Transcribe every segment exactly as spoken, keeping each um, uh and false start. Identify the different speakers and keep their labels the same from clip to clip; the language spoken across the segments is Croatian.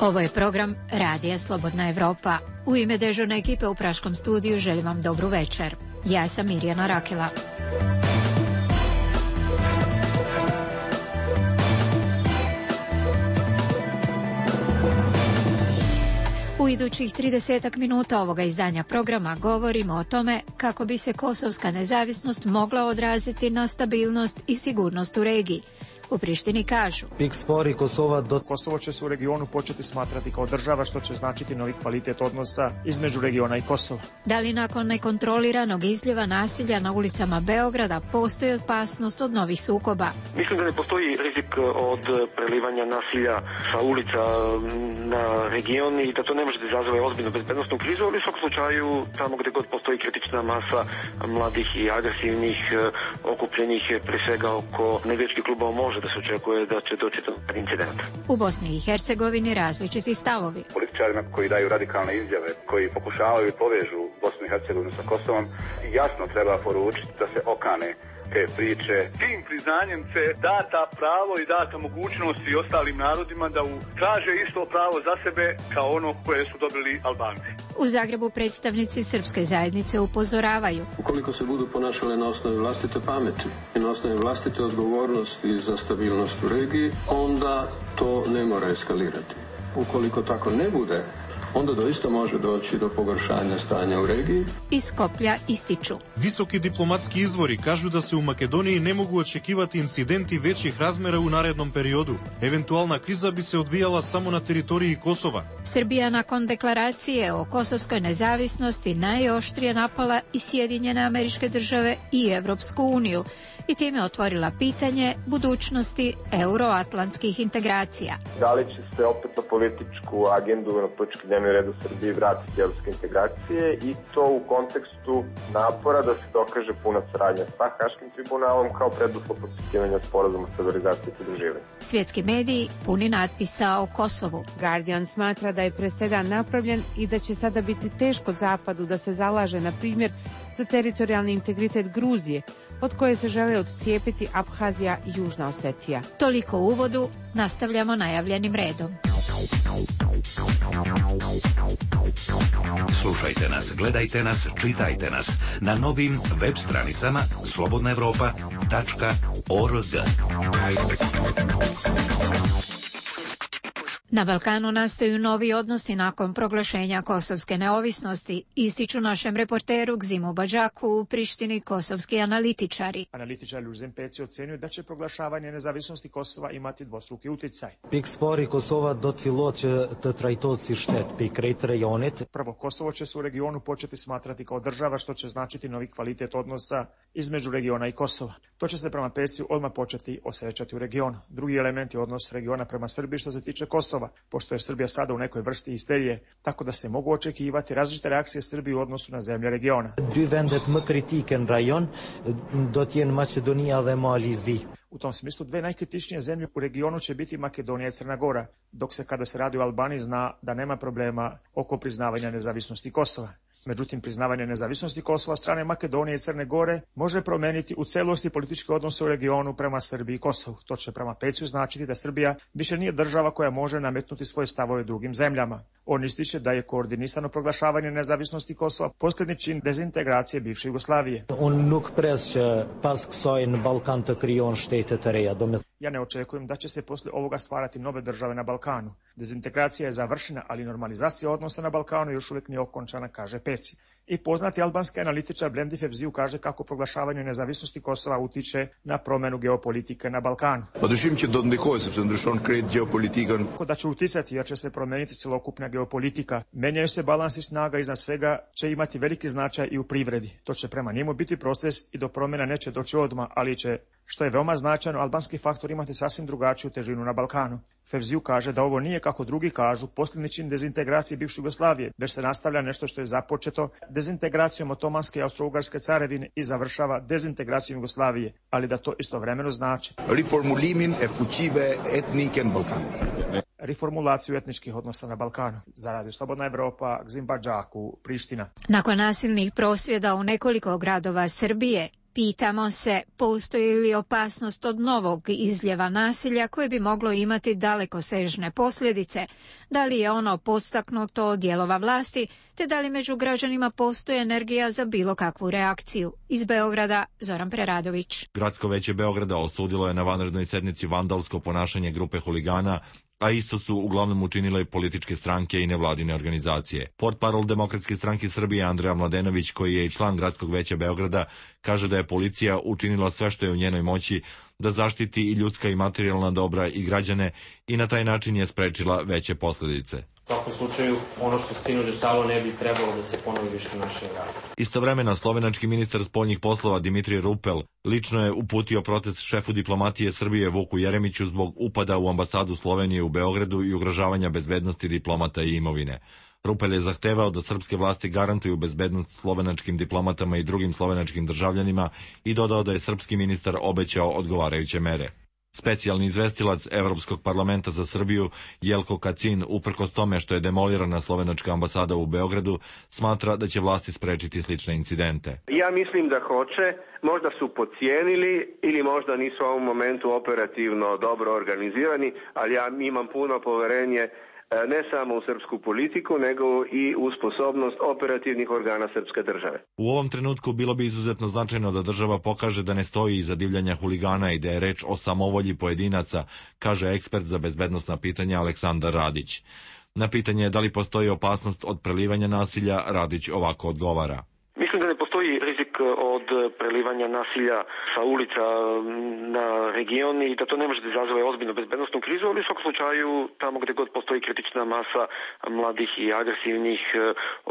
Speaker 1: Ovo je program Radija Slobodna Evropa. U ime dežurne ekipe u Praškom studiju želim vam dobru večer. Ja sam Mirjana Rakela. U idućih tridesetak minuta ovoga izdanja programa govorimo o tome kako bi se kosovska nezavisnost mogla odraziti na stabilnost i sigurnost u regiji. U Prištini kažu:
Speaker 2: Kosovo će se u regionu početi smatrati kao država, što će značiti novi kvalitet odnosa između regiona i Kosova.
Speaker 1: Da li nakon nekontroliranog izljeva nasilja na ulicama Beograda postoji opasnost od novih sukoba?
Speaker 3: Mislim da ne postoji rizik od prelivanja nasilja sa ulica na region i da to ne može da izazove ozbiljnu bezbednosnu krizu, ali u svakom slučaju tamo gde god postoji kritična masa mladih i agresivnih okupljenih pre svega oko navijačkih klubova može da se očekuje da će doći do incidenta.
Speaker 1: U Bosni i Hercegovini različiti stavovi.
Speaker 4: Političarima koji daju radikalne izjave, koji pokušavaju povežu Bosnu i Hercegovinu sa Kosovom, jasno treba poručiti da se okane te priče.
Speaker 5: Tim priznanjem se data pravo i data mogućnost i ostalim narodima da traže isto pravo za sebe kao ono koje su dobili Albanci.
Speaker 1: U Zagrebu predstavnici srpske zajednice upozoravaju:
Speaker 6: ukoliko se budu ponašale na osnovi vlastite pameti i na osnovi vlastite odgovornosti za stabilnost u regiji, onda to ne mora eskalirati. Ukoliko tako ne bude, onda doista može doći do pogoršanja stanja u regiji.
Speaker 1: Iz Skoplja ističu:
Speaker 7: visoki diplomatski izvori kažu da se u Makedoniji ne mogu očekivati incidenti većih razmera u narednom periodu. Eventualna kriza bi se odvijala samo na teritoriji Kosova.
Speaker 1: Srbija nakon deklaracije o kosovskoj nezavisnosti najoštrije napala i Sjedinjene Američke Države i Evropsku uniju i time otvorila pitanje budućnosti euroatlantskih integracija.
Speaker 8: Da li će se opet na političku agendu, na politički dnevni red u Srbiji vratiti evropske integracije i to u kontekstu napora da se dokaže puna saradnja sa Haškim tribunalom kao preduslov potpisivanja sporazuma stabilizacije i pridruživanja.
Speaker 1: Svjetski mediji puni natpisa o Kosovu.
Speaker 9: Guardian smatra da je presedan napravljen i da će sada biti teško Zapadu da se zalaže, na primjer, za teritorijalni integritet Gruzije, od koje se žele odcijepiti Abhazija i Južna Osetija.
Speaker 1: Toliko u uvodu, nastavljamo najavljenim redom.
Speaker 10: Slušajte nas, gledajte nas, čitajte nas na novim web stranicama slobodna evropa tačka org.
Speaker 1: Na Balkanu nastaju novi odnosi nakon proglašenja kosovske neovisnosti, ističu našem reporteru Gzimu Badžaku u Prištini kosovski analitičari.
Speaker 2: Analitičari u Zempeci ocenjuju da će proglašavanje nezavisnosti Kosova imati dvostruki uticaj. Prvo, Kosovo će se u regionu početi smatrati kao država, što će značiti novi kvalitet odnosa između regiona i Kosova. To će se prema Peciju odmah početi osjećati u regionu. Drugi element je odnos regiona prema Srbiji što se tiče Kosova, pošto je Srbija sada u nekoj vrsti histerije, tako da se mogu očekivati različite reakcije Srbije u odnosu na zemlje regiona. U tom smislu dve najkritičnije zemlje u regionu će biti Makedonija i Crna Gora, dok se kada se radi o Albaniji zna da nema problema oko priznavanja nezavisnosti Kosova. Međutim, priznavanje nezavisnosti Kosova od strane Makedonije i Crne Gore može promeniti u celosti političke odnose u regionu prema Srbiji i Kosovu. To će prema Peciju značiti da Srbija više nije država koja može nametnuti svoje stavove drugim zemljama. On ističe da je koordinisano proglašavanje nezavisnosti Kosova posljednji čin dezintegracije bivše Jugoslavije. Ja ne očekujem da će se posle ovoga stvarati nove države na Balkanu. Dezintegracija je završena, ali normalizacija odnosa na Balkanu još uvijek nije okončana, kaže Peci. I poznati albanski analitičar Blendi Fevziu kaže kako proglašavanje nezavisnosti Kosova utiče na promjenu geopolitike na Balkanu. Da će uticati jer će se promijeniti celokupna geopolitika. Menjaju se balansi snaga, iznad svega će imati veliki značaj i u privredi. To će prema njemu biti proces i do promjena neće doći odmah, ali će, što je veoma značajno, albanski faktor imati sasvim drugačiju težinu na Balkanu. Fevziu kaže da ovo nije, kako drugi kažu, posljednji čin dezintegracije bivše Jugoslavije, već se nastavlja nešto što je započeto dezintegracijom Otomanske i Austro-Ugarske carevine i završava dezintegracijom Jugoslavije, ali da to istovremeno znači reformulaciju etničkih odnosa na Balkanu. Za Radio Slobodna Evropa, Gzim Badžaku, Priština.
Speaker 1: Nakon nasilnih prosvjeda u nekoliko gradova Srbije, Pitamo se, postoji li opasnost od novog izljeva nasilja koje bi moglo imati dalekosežne posljedice, da li je ono postaknuto od dijelova vlasti, te da li među građanima postoji energija za bilo kakvu reakciju. Iz Beograda, Zoran Preradović.
Speaker 11: Gradsko veće Beograda osudilo je na vanrednoj sednici vandalsko ponašanje grupe huligana, a isto su uglavnom učinile političke stranke i nevladine organizacije. Portparol Demokratske stranke Srbije Andreja Mladenović, koji je i član Gradskog veća Beograda, kaže da je policija učinila sve što je u njenoj moći da zaštiti i ljudska i materijalna dobra i građane i na taj način je sprečila veće posljedice.
Speaker 12: U svakom slučaju, ono što se sinoć dešavalo ne bi trebalo da se ponovi više u našem gradu.
Speaker 11: Istovremeno, slovenački ministar spoljnih poslova Dimitrij Rupel lično je uputio protest šefu diplomatije Srbije Vuku Jeremiću zbog upada u ambasadu Slovenije u Beogradu i ugrožavanja bezbednosti diplomata i imovine. Rupel je zahtevao da srpske vlasti garantuju bezbednost slovenačkim diplomatama i drugim slovenačkim državljanima i dodao da je srpski ministar obećao odgovarajuće mere. Specijalni izvestilac Evropskog parlamenta za Srbiju Jelko Kacin, uprkos tome što je demolirana slovenačka ambasada u Beogradu, smatra da će vlasti sprečiti slične incidente.
Speaker 13: Ja mislim da hoće, možda su podcijenili ili možda nisu u ovom momentu operativno dobro organizirani, ali ja imam puno poverenje ne samo u srpsku politiku, nego i u sposobnost operativnih organa srpske države.
Speaker 11: U ovom trenutku bilo bi izuzetno značajno da država pokaže da ne stoji iza divljanja huligana i da je reč o samovolji pojedinaca, kaže ekspert za bezbednosna pitanja Aleksandar Radić. Na pitanje da li postoji opasnost od prelivanja nasilja, Radić ovako odgovara.
Speaker 3: Mislim da ne postoji rizik od prelivanja nasilja sa ulica na region i da to ne može da izazove ozbiljnu bezbednostnu krizu, ali u svakom slučaju tamo gde god postoji kritična masa mladih i agresivnih,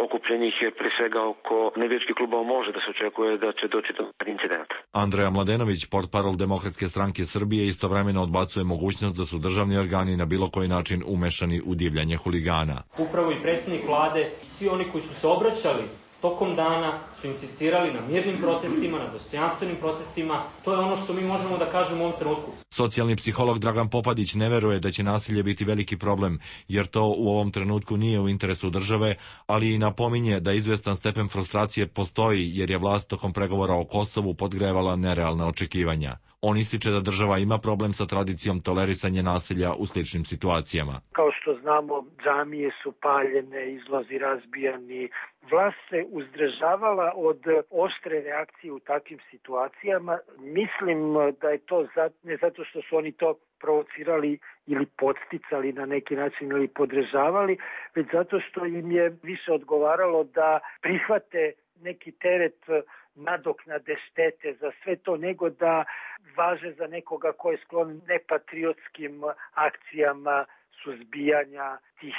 Speaker 3: okupljenih pre svega oko navijačkih klubova, može da se očekuje da će doći do incidenta.
Speaker 11: Andreja Mladenović, portparol Demokratske stranke Srbije, istovremeno odbacuje mogućnost da su državni organi na bilo koji način umešani u divljanje huligana.
Speaker 12: Upravo i predsjednik vlade i svi oni koji su se obraćali tokom dana su insistirali na mirnim protestima, na dostojanstvenim protestima. To je ono što mi možemo da kažemo u ovom trenutku.
Speaker 11: Socijalni psiholog Dragan Popadić ne veruje da će nasilje biti veliki problem, jer to u ovom trenutku nije u interesu države, ali i napominje da izvestan stepen frustracije postoji jer je vlast tokom pregovora o Kosovu podgrevala nerealna očekivanja. On ističe da država ima problem sa tradicijom tolerisanja nasilja u sličnim situacijama.
Speaker 14: Kao što znamo, džamije su paljene, izlozi razbijani. Vlast se uzdržavala od oštre reakcije u takvim situacijama. Mislim da je to ne zato što su oni to provocirali ili podsticali na neki način ili podržavali, već zato što im je više odgovaralo da prihvate neki teret nadoknade štete za sve to, nego da važe za nekoga ko je sklon nepatriotskim akcijama suzbijanja tih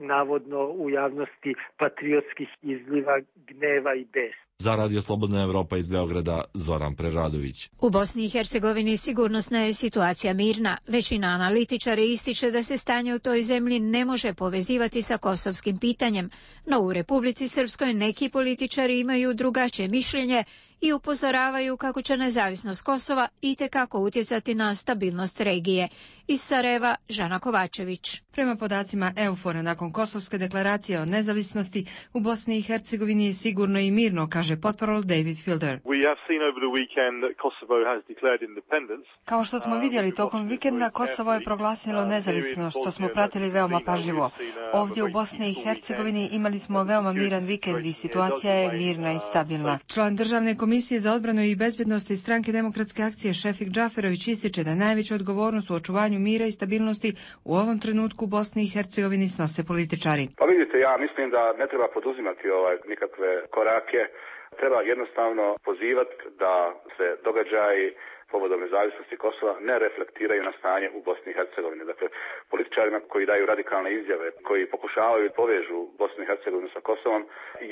Speaker 14: navodno u javnosti patriotskih izliva gneva i besa.
Speaker 11: Za Radio Slobodna Evropa iz Beograda, Zoran Preradović.
Speaker 1: U Bosni i Hercegovini sigurnosna je situacija mirna. Većina analitičara ističe da se stanje u toj zemlji ne može povezivati sa kosovskim pitanjem, no u Republici Srpskoj neki političari imaju drugačije mišljenje i upozoravaju kako će nezavisnost Kosova itekako utjecati na stabilnost regije. Iz Sarajeva, Žana Kovačević.
Speaker 15: Prema podacima Eufora, nakon Kosovske deklaracije o nezavisnosti, u Bosni i Hercegovini je sigurno i mirno, kaže portparol David Fielder. Kao što smo vidjeli tokom vikenda, Kosovo je proglasilo nezavisno, što smo pratili veoma pažljivo. Ovdje u Bosni i Hercegovini imali smo veoma miran vikend i situacija je mirna i stabilna. Član državne Komisije za odbranu i bezbednost iz stranke Demokratske akcije Šefik Džaferović ističe da najveću odgovornost u očuvanju mira i stabilnosti u ovom trenutku u Bosni i Hercegovini snose političari.
Speaker 4: Pa vidite, ja mislim da ne treba poduzimati ovaj nikakve korake. Treba jednostavno pozivati da se događaji povodom nezavisnosti Kosova ne reflektiraju na stanje u Bosni i Hercegovini. Dakle, političarima koji daju radikalne izjave, koji pokušavaju povežu Bosnu i Hercegovinu sa Kosovom,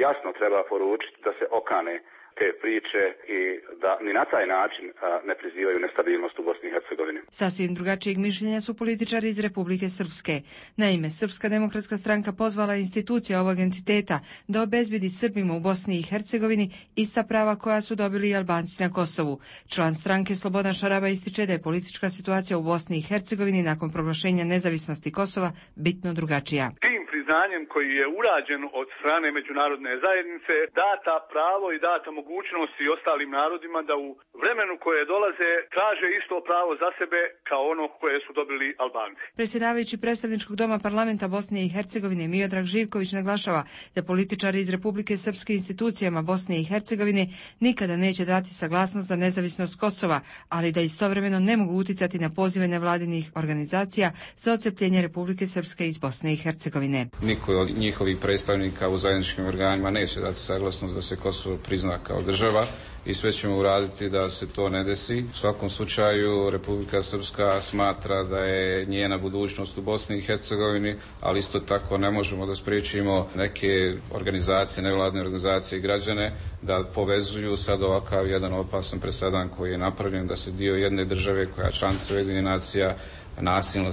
Speaker 4: jasno treba poručiti da se okane te priče i da ni na taj način a, ne prizivaju nestabilnost u Bosni i Hercegovini.
Speaker 15: Sasvim drugačijeg mišljenja su političari iz Republike Srpske. Naime, Srpska demokratska stranka pozvala institucije ovog entiteta da obezbedi Srbima u Bosni i Hercegovini ista prava koja su dobili i Albanci na Kosovu. Član stranke Slobodan Šaraba ističe da je politička situacija u Bosni i Hercegovini nakon proglašenja nezavisnosti Kosova bitno drugačija.
Speaker 5: Tim priznanjem koji je urađen od strane međunarodne zajednice data pravo i data mogućnost i ostalim narodima da u vremenu koje dolaze traže isto pravo za sebe kao ono koje su dobili Albanci.
Speaker 15: Predsjedavajući predstavničkog doma parlamenta Bosne i Hercegovine Miodrag Živković naglašava da političari iz Republike Srpske institucijama Bosne i Hercegovine nikada neće dati saglasnost za nezavisnost Kosova, ali da istovremeno ne mogu uticati na pozive nevladinih organizacija za odcepljenje Republike Srpske iz Bosne i Hercegovine.
Speaker 16: Niko od njihovih predstavnika u zajedničkim organima neće dati saglasnost da se Kosovo prizna kao država i sve ćemo uraditi da se to ne desi. U svakom slučaju Republika Srpska smatra da je njena budućnost u Bosni i Hercegovini, ali isto tako ne možemo da spriječimo neke organizacije, nevladine organizacije i građane da povezuju sad ovakav jedan opasan presedan koji je napravljen da se dio jedne države koja je članica Ujedinjenih nacija nasilno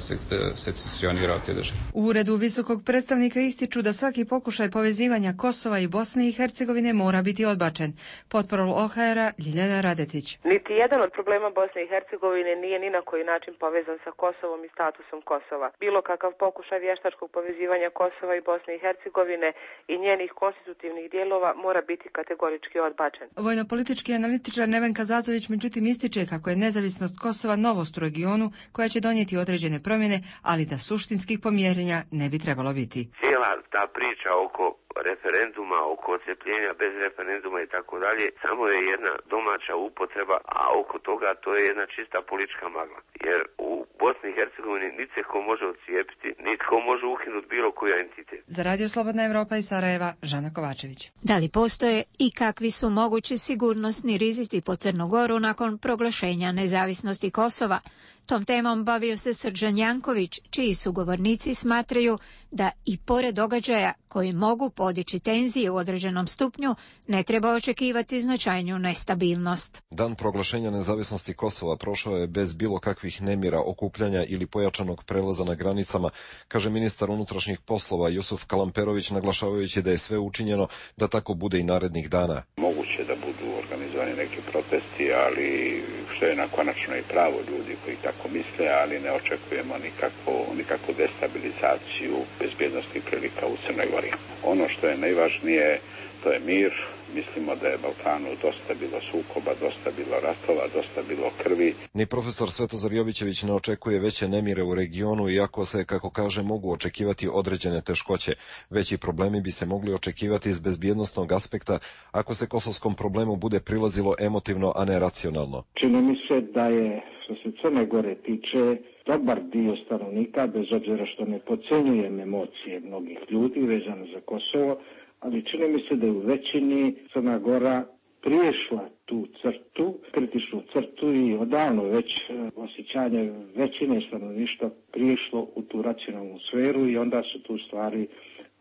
Speaker 16: secesionira od te države.
Speaker 15: U uredu visokog predstavnika ističu da svaki pokušaj povezivanja Kosova i Bosne i Hercegovine mora biti odbačen. Potporol O H R-a Ljiljana Radetić.
Speaker 17: Niti jedan od problema Bosne i Hercegovine nije ni na koji način povezan sa Kosovom i statusom Kosova. Bilo kakav pokušaj vještačkog povezivanja Kosova i Bosne i Hercegovine i njenih konstitutivnih dijelova mora biti kategorički odbačen.
Speaker 15: Vojnopolitički analitičar Nevenka Zazović međutim ističe kako je nezavisnost Kosova novost u regionu koja će donijeti određene promjene, ali da suštinskih pomjerenja ne bi trebalo biti.
Speaker 18: Cijela ta priča oko referenduma, oko odcepljenja bez referenduma i tako dalje, samo je jedna domaća upotreba, a oko toga to je jedna čista politička magla. Jer u Bosni i Hercegovini niti se ko može odcijepiti, niti ko može ukinuti bilo koji entitet.
Speaker 15: Za Radio Slobodna Evropa iz Sarajeva, Žana Kovačević.
Speaker 1: Da li postoje i kakvi su mogući sigurnosni rizici po Crnu Goru nakon proglašenja nezavisnosti Kosova? Tom temom bavio se Srđan Janković, čiji sugovornici smatraju da i pored događaja koji mogu podići tenzije u određenom stupnju, ne treba očekivati značajnu nestabilnost.
Speaker 19: Dan proglašenja nezavisnosti Kosova prošao je bez bilo kakvih nemira, okupljanja ili pojačanog prelaza na granicama, kaže ministar unutrašnjih poslova Jusuf Kalamperović, naglašavajući da je sve učinjeno da tako bude i narednih dana.
Speaker 20: Moguće da budu organizovani neki protesti, ali što je na konačno i pravo ljudi koji tako misle, ali ne očekujemo nikakvu, nikakvu destabilizaciju bezbjednosti prilika u Crnoj Gori. Ono što je najvažnije, to je mir. Mislimo da je Balkanu dosta bilo sukoba, dosta bilo ratova, dosta bilo krvi.
Speaker 19: Ni profesor Svetozar Jovićević ne očekuje veće nemire u regionu, iako se, kako kaže, mogu očekivati određene teškoće. Veći problemi bi se mogli očekivati iz bezbjednosnog aspekta ako se kosovskom problemu bude prilazilo emotivno, a ne racionalno.
Speaker 21: Čini mi se da je, što se Crne Gore tiče, dobar dio stanovnika, bez obzira što ne podcenjujem emocije mnogih ljudi vezano za Kosovo, ali čini mi se da je u većini Crna Gora priješla tu crtu, kritičnu crtu i odavno već osjećanje većine stanovništva priješlo u tu racionalnu sferu i onda su tu stvari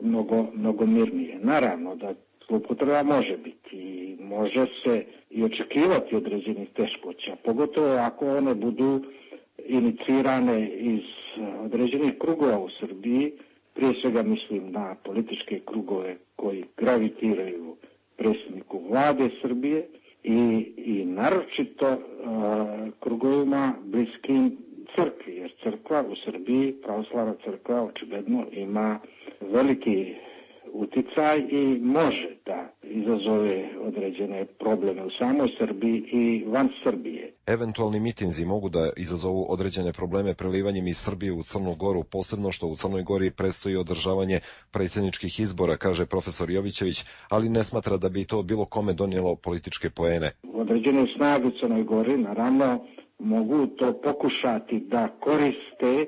Speaker 21: mnogo, mnogo mirnije. Naravno da zloupotreba može biti i može se i očekivati određenih teškoća, pogotovo ako one budu inicirane iz određenih krugova u Srbiji. Prije svega mislim na političke krugove koji gravitiraju predsjedniku vlade Srbije i, i naročito uh, krugovima bliskim crkvi, jer crkva u Srbiji, pravoslavna crkva, očigledno ima veliki uticaj i može da izazove određene probleme u samoj Srbiji i van Srbije.
Speaker 19: Eventualni mitinzi mogu da izazovu određene probleme prelivanjem iz Srbije u Crnu Goru, posebno što u Crnoj Gori predstoji održavanje predsjedničkih izbora, kaže profesor Jovićević, ali ne smatra da bi to bilo kome donijelo političke poene.
Speaker 21: Određene snage u Crnoj Gori naravno mogu to pokušati da koriste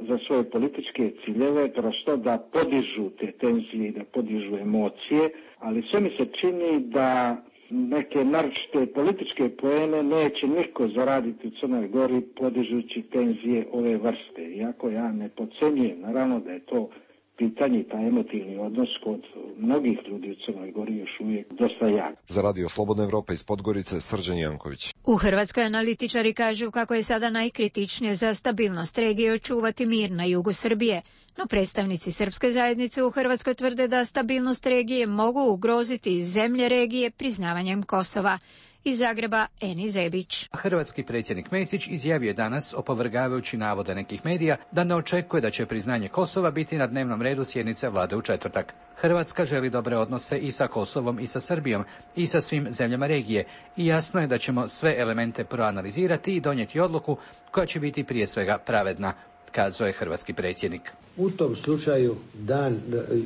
Speaker 21: za svoje političke ciljeve, prosto da podižu te tenzije i da podižu emocije, ali sve mi se čini da neke naročite političke poene neće niko zaraditi u Crnoj Gori podižući tenzije ove vrste. Iako ja ne podcenjujem, naravno da je to pitanje, taj emotivni odnos kod mnogih ljudi u Crnoj Gori još uvijek dosta jak.
Speaker 19: Za Radio Slobodna Evropa iz Podgorice, Srđan Janković.
Speaker 1: U Hrvatskoj analitičari kažu kako je sada najkritičnije za stabilnost regije očuvati mir na jugu Srbije, no predstavnici srpske zajednice u Hrvatskoj tvrde da stabilnost regije mogu ugroziti zemlje regije priznavanjem Kosova. Iz Zagreba Eni Zebić.
Speaker 6: Hrvatski predsjednik Mesić izjavio je danas, opovrgavajući navode nekih medija, da ne očekuje da će priznanje Kosova biti na dnevnom redu sjednice vlade u četvrtak. Hrvatska želi dobre odnose i sa Kosovom i sa Srbijom i sa svim zemljama regije i jasno je da ćemo sve elemente proanalizirati i donijeti odluku koja će biti prije svega pravedna, kazao je hrvatski predsjednik.
Speaker 22: U tom slučaju dan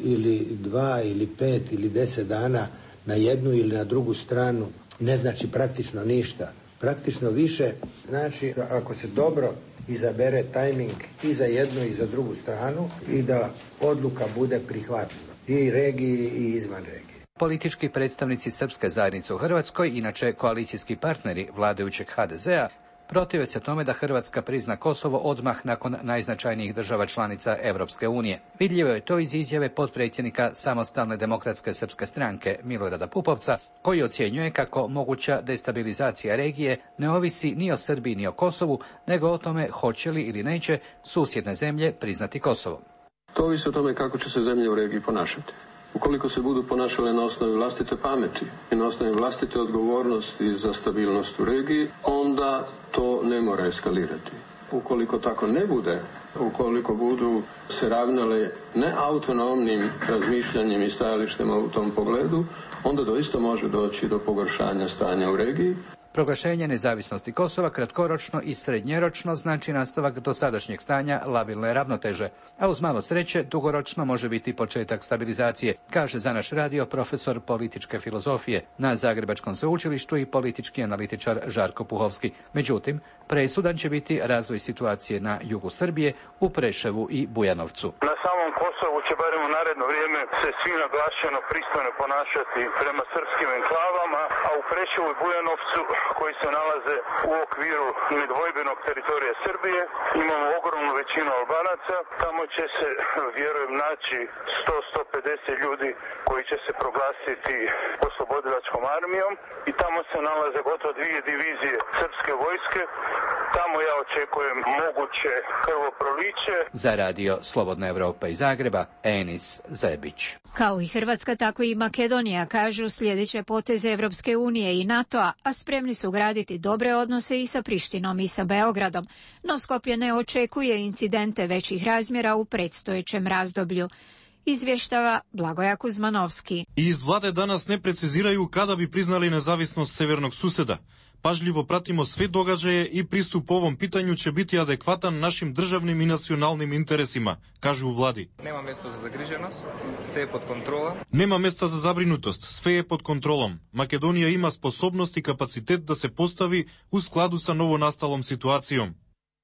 Speaker 22: ili dva ili pet ili deset dana na jednu ili na drugu stranu ne znači praktično ništa. Praktično više znači ako se dobro izabere tajming i za jednu i za drugu stranu i da odluka bude prihvatljiva i regiji i izvan regije.
Speaker 6: Politički predstavnici srpske zajednice u Hrvatskoj, inače koalicijski partneri vladajućeg ha de zea, protive se tome da Hrvatska prizna Kosovo odmah nakon najznačajnijih država članica Europske unije. Vidljivo je to iz izjave potpredsjednika Samostalne demokratske srpske stranke Milorada Pupovca, koji ocjenjuje kako moguća destabilizacija regije ne ovisi ni o Srbiji ni o Kosovu, nego o tome hoće li ili neće susjedne zemlje priznati Kosovo.
Speaker 23: To ovisi o tome kako će se zemlje u regiji ponašati. Ukoliko se budu ponašale na osnovi vlastite pameti i na osnovi vlastite odgovornosti za stabilnost u regiji, onda to ne mora eskalirati. Ukoliko tako ne bude, ukoliko budu se ravnale neautonomnim razmišljanjem i stajalištima u tom pogledu, onda doista može doći do pogoršanja stanja u regiji.
Speaker 6: Proglašenje nezavisnosti Kosova kratkoročno i srednjeročno znači nastavak dosadašnjeg stanja labilne ravnoteže, a uz malo sreće dugoročno može biti početak stabilizacije, kaže za naš radio profesor političke filozofije na Zagrebačkom sveučilištu i politički analitičar Žarko Puhovski. Međutim, presudan će biti razvoj situacije na jugu Srbije, u Preševu i Bujanovcu.
Speaker 24: Na samom Kosovu će barem u naredno vrijeme se svi naglašeno pristojno ponašati prema srpskim enklavama, a u Preševu i Bujanovcu, koji se nalaze u okviru nedvojbenog teritorija Srbije, imamo ogromnu većinu Albanaca. Tamo će se, vjerujem, naći sto do sto pedeset ljudi koji će se proglasiti oslobodilačkom armijom i tamo se nalaze gotovo dvije divizije srpske vojske. Tamo ja očekujem moguće krvoproliće.
Speaker 6: Za radio Slobodna Evropa iz Zagreba, Enis Zebić.
Speaker 1: Kao i Hrvatska, tako i Makedonija kažu sljedeće poteze Evropske unije i NATO-a, a spremni su graditi dobre odnose i sa Prištinom i sa Beogradom, no Skopje ne očekuje incidente većih razmjera u predstojećem razdoblju. Izvještava Blagoja Kuzmanovski.
Speaker 7: Iz vlade danas ne preciziraju kada bi priznali nezavisnost severnog suseda. Pažljivo pratimo sve događaje i pristup ovom pitanju će biti adekvatan našim državnim i nacionalnim interesima, kažu u vladi.
Speaker 25: Nema mjesta za zagriženost, sve je pod kontrolom.
Speaker 7: Nema mjesta za zabrinutost, sve je pod kontrolom. Makedonija ima sposobnost i kapacitet da se postavi u skladu sa novonastalom situacijom,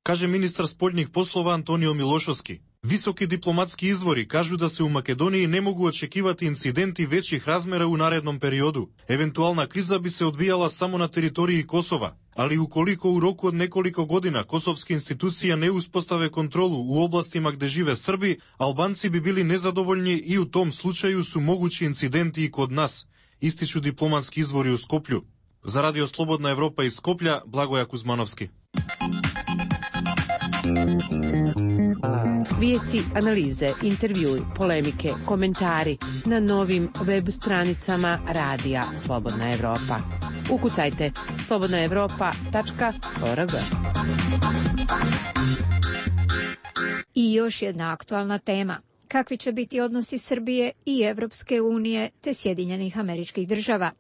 Speaker 7: kaže ministar spoljnih poslova Antonio Milošovski. Visoki diplomatski izvori kažu da se u Makedoniji ne mogu očekivati incidenti većih razmera u narednom periodu. Eventualna kriza bi se odvijala samo na teritoriji Kosova, ali ukoliko u roku od nekoliko godina kosovske institucije ne uspostave kontrolu u oblastima gde žive Srbi, Albanci bi bili nezadovoljni i u tom slučaju su mogući incidenti i kod nas, ističu diplomatski izvori u Skoplju. Za radio Slobodna Evropa iz Skoplja, Blagoja Kuzmanovski.
Speaker 9: Vijesti, analize, intervjui, polemike, komentari na novim web stranicama radija Slobodna Evropa. Ukucajte slobodna evropa tačka org.
Speaker 1: I još jedna aktualna tema. Kakvi će biti odnosi Srbije i Evropske unije te Sjedinjenih Američkih Država?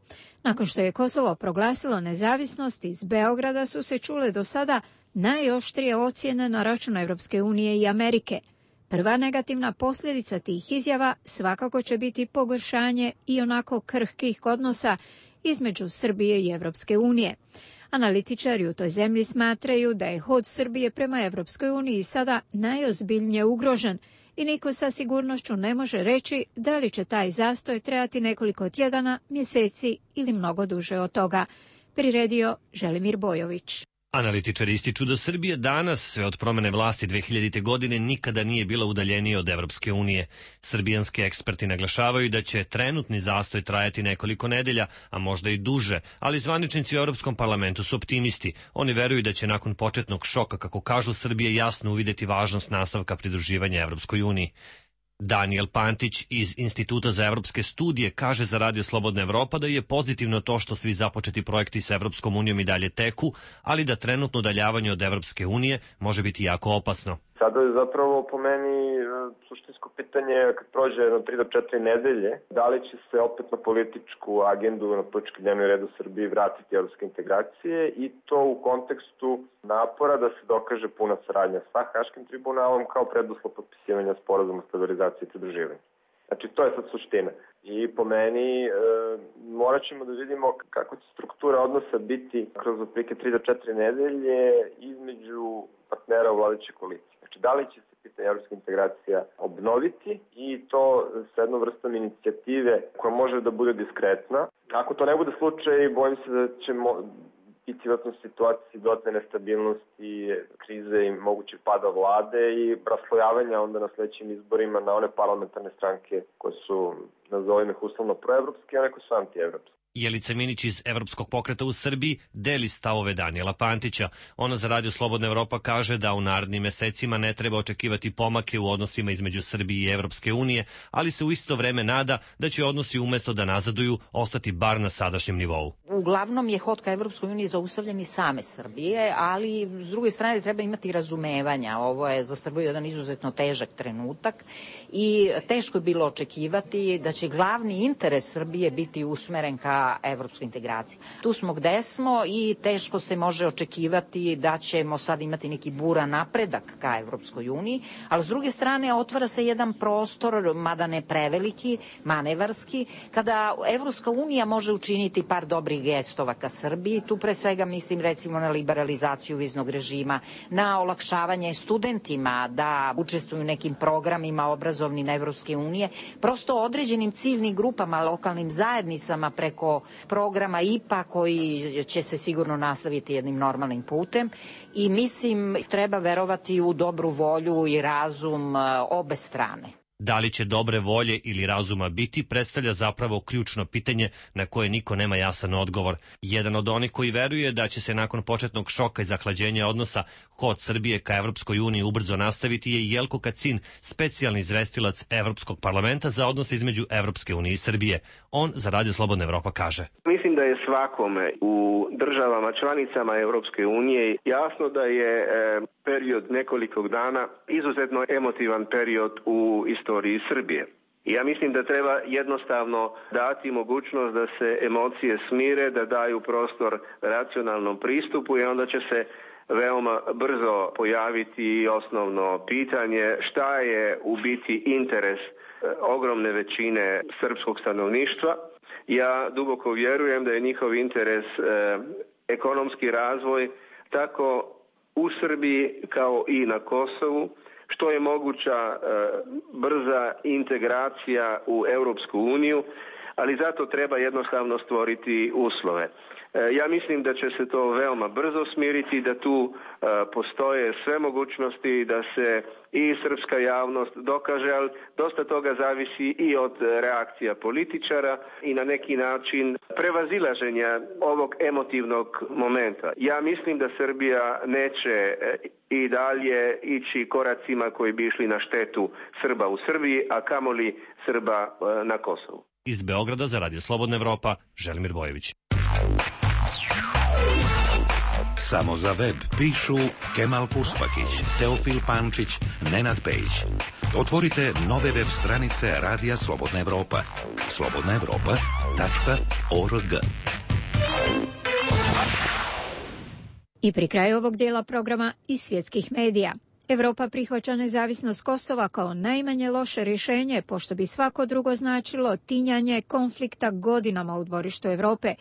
Speaker 1: Nakon što je Kosovo proglasilo nezavisnost, iz Beograda su se čule do sada najoštrije ocjene na račun Evropske unije i Amerike. Prva negativna posljedica tih izjava svakako će biti pogoršanje i onako krhkih odnosa između Srbije i Evropske unije. Analitičari u toj zemlji smatraju da je hod Srbije prema Evropskoj uniji sada najozbiljnije ugrožen i niko sa sigurnošću ne može reći da li će taj zastoj trajati nekoliko tjedana, mjeseci ili mnogo duže od toga, priredio Želimir Bojović.
Speaker 26: Analitičari ističu da Srbija danas, sve od promene vlasti dve hiljadite. godine, nikada nije bila udaljenija od Evropske unije. Srbijanski eksperti naglašavaju da će trenutni zastoj trajati nekoliko nedelja, a možda i duže, ali zvaničnici u Europskom parlamentu su optimisti. Oni veruju da će nakon početnog šoka, kako kažu, Srbija jasno uvideti važnost nastavka pridruživanja Evropskoj uniji. Daniel Pantić iz Instituta za evropske studije kaže za Radio Slobodna Evropa da je pozitivno to što svi započeti projekti s Evropskom unijom i dalje teku, ali da trenutno udaljavanje od Evropske unije može biti jako opasno.
Speaker 2: Sada je zapravo po meni suštinsko pitanje kad prođe jedno tri do četiri nedelje, da li će se opet na političku agendu, na politički dnevni red u Srbiji vratiti evropske integracije i to u kontekstu napora da se dokaže puna saradnja sa Haškim tribunalom kao preduslov potpisivanja sporazuma o stabilizaciji i pridruživanju. Znači, to je sad suština. I po meni e, morat ćemo da vidimo kako će struktura odnosa biti kroz otprilike tri do četiri nedelje između partnera u vladajućoj koaliciji. Znači, da li će se pitanje evropske integracija obnoviti i to sa jednom vrstom inicijative koja može da bude diskretna. Ako to ne bude slučaj, bojim se da ćemo biti u situaciji dodatne nestabilnosti, krize i mogućeg pada vlade i raslojavanja onda na sledećim izborima na one parlamentarne stranke koje su, nazovimo ih uslovno proevropske, a neko su antievropske.
Speaker 26: Jelica Minić iz Evropskog pokreta u Srbiji deli stavove Daniela Pantića. Ona za Radio Slobodna Evropa kaže da u narednim mesecima ne treba očekivati pomake u odnosima između Srbije i Evropske unije, ali se u isto vreme nada da će odnosi umesto da nazaduju ostati bar na sadašnjem nivou.
Speaker 3: Uglavnom je hod ka Evropskoj uniji zaustavljen i same Srbije, ali s druge strane treba imati razumevanja. Ovo je za Srbiju jedan izuzetno težak trenutak i teško je bilo očekivati da će glavni interes Srbije biti usmeren ka evropskoj integraciji. Tu smo gde smo i teško se može očekivati da ćemo sad imati neki buran napredak ka Evropskoj uniji, ali s druge strane otvara se jedan prostor, mada ne preveliki, manevarski, kada Evropska unija može učiniti par dobrih gestova ka Srbiji. Tu pre svega mislim recimo na liberalizaciju viznog režima, na olakšavanje studentima da učestvuju u nekim programima obrazovnim Evropske unije, prosto određenim ciljnim grupama, lokalnim zajednicama preko programa I P A koji će se sigurno nastaviti jednim normalnim putem i mislim treba verovati u dobru volju i razum obe strane.
Speaker 26: Da li će dobre volje ili razuma biti, predstavlja zapravo ključno pitanje na koje niko nema jasan odgovor. Jedan od onih koji veruje da će se nakon početnog šoka i zahlađenja odnosa hod Srbije ka Evropskoj uniji ubrzo nastaviti je Jelko Kacin, specijalni izvestilac Evropskog parlamenta za odnose između Evropske unije i Srbije. On za Radio Slobodna Evropa kaže:
Speaker 2: Mislim da je svakome u državama članicama Evropske unije jasno da je e, period nekoliko dana izuzetno emotivan period u istoriji Srbije. Ja mislim da treba jednostavno dati mogućnost da se emocije smire, da daju prostor racionalnom pristupu i onda će se veoma brzo pojaviti osnovno pitanje šta je u biti interes e, ogromne većine srpskog stanovništva. Ja duboko vjerujem da je njihov interes e, ekonomski razvoj tako u Srbiji kao i na Kosovu, što je moguća e, brza integracija u Europsku uniju, ali zato treba jednostavno stvoriti uslove. E, ja mislim da će se to veoma brzo smiriti, da tu e, postoje sve mogućnosti da se i srpska javnost dokaže, ali dosta toga zavisi i od reakcija političara i na neki način prevazilaženja ovog emotivnog momenta. Ja mislim da Srbija neće i dalje ići koracima koji bi išli na štetu Srba u Srbiji, a kamoli Srba na Kosovu.
Speaker 26: Iz Beograda za Radio Slobodna Evropa, Želimir Bojević.
Speaker 8: Samo za web pišu Kemal Puspakić, Teofil Pančić, Nenad Pejić. Otvorite nove web stranice Radija Slobodna Evropa. slobodna evropa tačka org.
Speaker 1: I pri kraju ovog dijela programa iz svjetskih medija. Evropa prihvaća nezavisnost Kosova kao najmanje loše rješenje, pošto bi svako drugo značilo tinjanje konflikta godinama u dvorištu Evrope,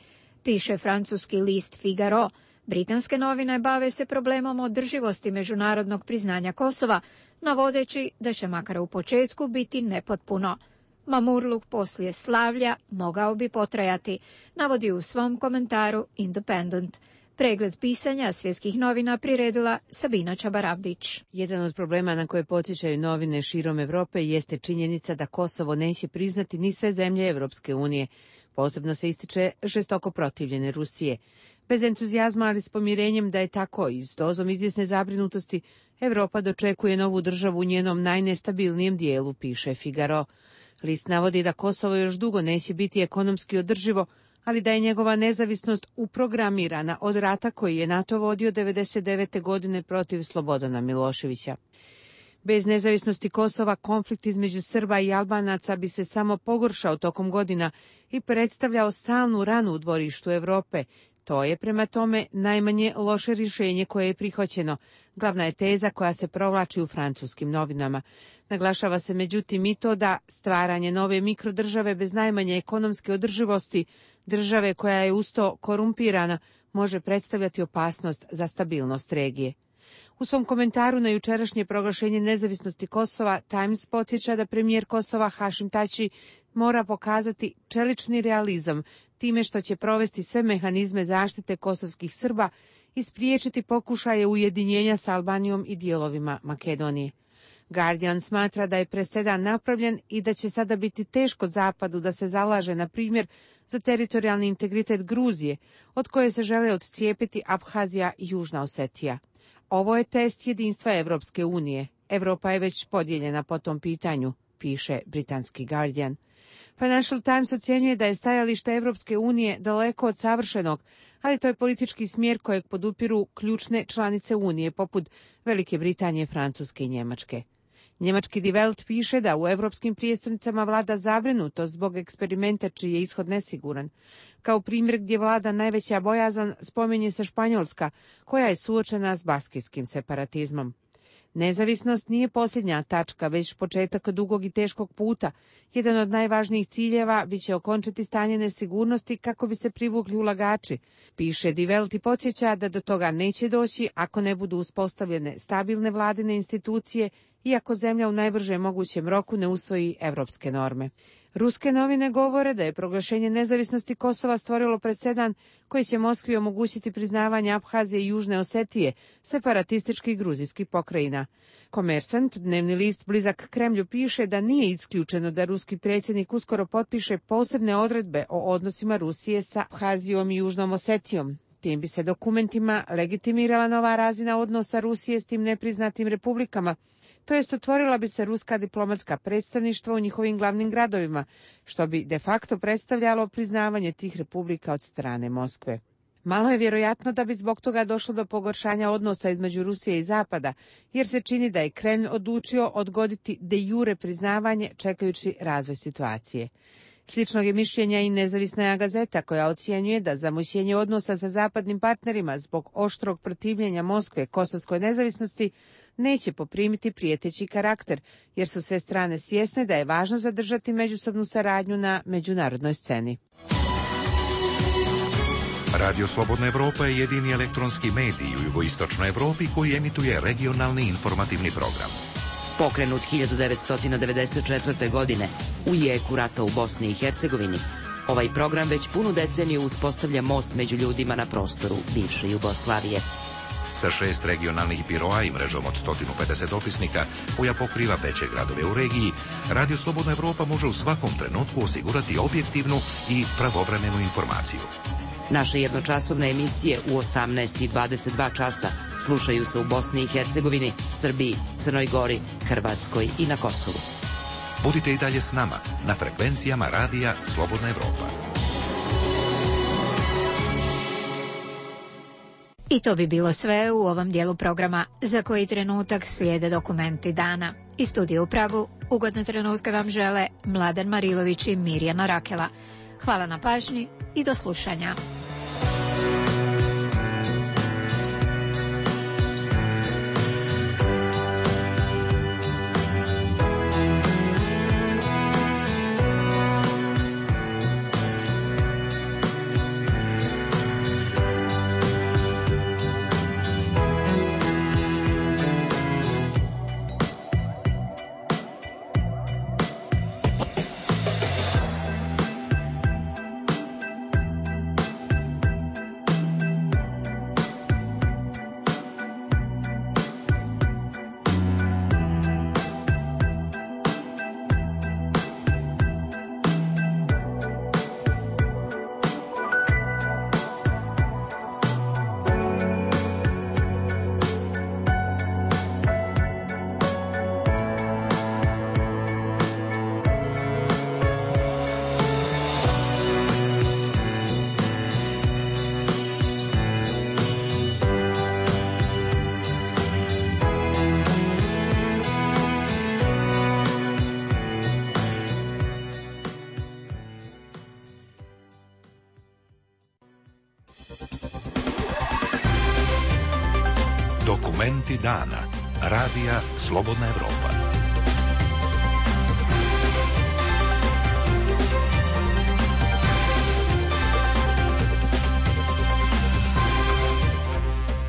Speaker 1: piše francuski list Figaro. Britanske novine bave se problemom održivosti međunarodnog priznanja Kosova, navodeći da će makar u početku biti nepotpuno. Mamurluk poslije slavlja mogao bi potrajati, navodi u svom komentaru Independent. Pregled pisanja svjetskih novina priredila Sabina Čabaravdić.
Speaker 9: Jedan od problema na koje podsjećaju novine širom Evrope jeste činjenica da Kosovo neće priznati ni sve zemlje Evropske unije. Posebno se ističe žestoko protivljene Rusije. Bez entuzijazma, ali s pomirenjem da je tako i s dozom izvjesne zabrinutosti, Evropa dočekuje novu državu u njenom najnestabilnijem dijelu, piše Figaro. List navodi da Kosovo još dugo neće biti ekonomski održivo, ali da je njegova nezavisnost uprogramirana od rata koji je NATO vodio devedeset devete. godine protiv Slobodana Miloševića. Bez nezavisnosti Kosova konflikt između Srba i Albanaca bi se samo pogoršao tokom godina i predstavljao stalnu ranu u dvorištu Evrope. To je prema tome najmanje loše rješenje koje je prihvaćeno. Glavna je teza koja se provlači u francuskim novinama. Naglašava se međutim i to da stvaranje nove mikrodržave bez najmanje ekonomske održivosti, države koja je usto korumpirana, može predstavljati opasnost za stabilnost regije. U svom komentaru na jučerašnje proglašenje nezavisnosti Kosova, Times podsjeća da premijer Kosova Hašim Tači mora pokazati čelični realizam time što će provesti sve mehanizme zaštite kosovskih Srba i spriječiti pokušaje ujedinjenja sa Albanijom i dijelovima Makedonije. Guardian smatra da je presedan napravljen i da će sada biti teško Zapadu da se zalaže, na primjer, za teritorijalni integritet Gruzije, od koje se žele odcijepiti Abhazija i Južna Osetija. Ovo je test jedinstva Evropske unije. Evropa je već podijeljena po tom pitanju, piše britanski Guardian. Financial Times ocjenjuje da je stajalište Evropske unije daleko od savršenog, ali to je politički smjer kojeg podupiru ključne članice Unije, poput Velike Britanije, Francuske i Njemačke. Njemački Die Welt piše da u evropskim prijestolnicama vlada zabrinutost zbog eksperimenta čiji je ishod nesiguran. Kao primjer gdje vlada najveća bojazan spominje se Španjolska, koja je suočena s baskijskim separatizmom. Nezavisnost nije posljednja tačka, već početak dugog i teškog puta. Jedan od najvažnijih ciljeva biće okončati stanje nesigurnosti kako bi se privukli ulagači, piše Die Welt i podsjeća da do toga neće doći ako ne budu uspostavljene stabilne vladine institucije i ako zemlja u najbržem mogućem roku ne usvoji evropske norme. Ruske novine govore da je proglašenje nezavisnosti Kosova stvorilo presedan koji će Moskvi omogućiti priznavanje Abhazije i Južne Osetije, separatističkih gruzijskih pokrajina. Komersant, dnevni list blizak Kremlju, piše da nije isključeno da ruski predsjednik uskoro potpiše posebne odredbe o odnosima Rusije sa Abhazijom i Južnom Osetijom. Tim bi se dokumentima legitimirala nova razina odnosa Rusije s tim nepriznatim republikama, to jest otvorila bi se ruska diplomatska predstavništva u njihovim glavnim gradovima, što bi de facto predstavljalo priznavanje tih republika od strane Moskve. Malo je vjerojatno da bi zbog toga došlo do pogoršanja odnosa između Rusije i Zapada, jer se čini da je Kremlj odlučio odgoditi de jure priznavanje čekajući razvoj situacije. Sličnog je mišljenja i nezavisna gazeta koja ocjenjuje da zamućenje odnosa sa zapadnim partnerima zbog oštrog protivljenja Moskve kosovskoj nezavisnosti neće poprimiti prijeteći karakter, jer su sve strane svjesne da je važno zadržati međusobnu saradnju na međunarodnoj sceni.
Speaker 8: Radio Slobodna Evropa je jedini elektronski medij u jugoistočnoj Evropi koji emituje regionalni informativni program.
Speaker 4: Pokrenut hiljadu devetsto devedeset četvrte. godine u jeku rata u Bosni i Hercegovini, ovaj program već punu deceniju uspostavlja most među ljudima na prostoru bivše Jugoslavije.
Speaker 8: Sa šest regionalnih biroa i mrežom od sto pedeset dopisnika koja pokriva veće gradove u regiji, Radio Slobodna Evropa može u svakom trenutku osigurati objektivnu i pravovremenu informaciju.
Speaker 4: Naše jednočasovne emisije u osamnaest i dvadeset dva časa slušaju se u Bosni i Hercegovini, Srbiji, Crnoj Gori, Hrvatskoj i na Kosovu.
Speaker 8: Budite i dalje s nama na frekvencijama Radija Slobodna Evropa.
Speaker 1: I to bi bilo sve u ovom dijelu programa, za koji trenutak slijede dokumenti dana. Iz studija u Pragu ugodne trenutke vam žele Mladen Marilović i Mirjana Rakela. Hvala na pažnji i do slušanja.
Speaker 8: Dokumenti dana. Radija Slobodna Evropa.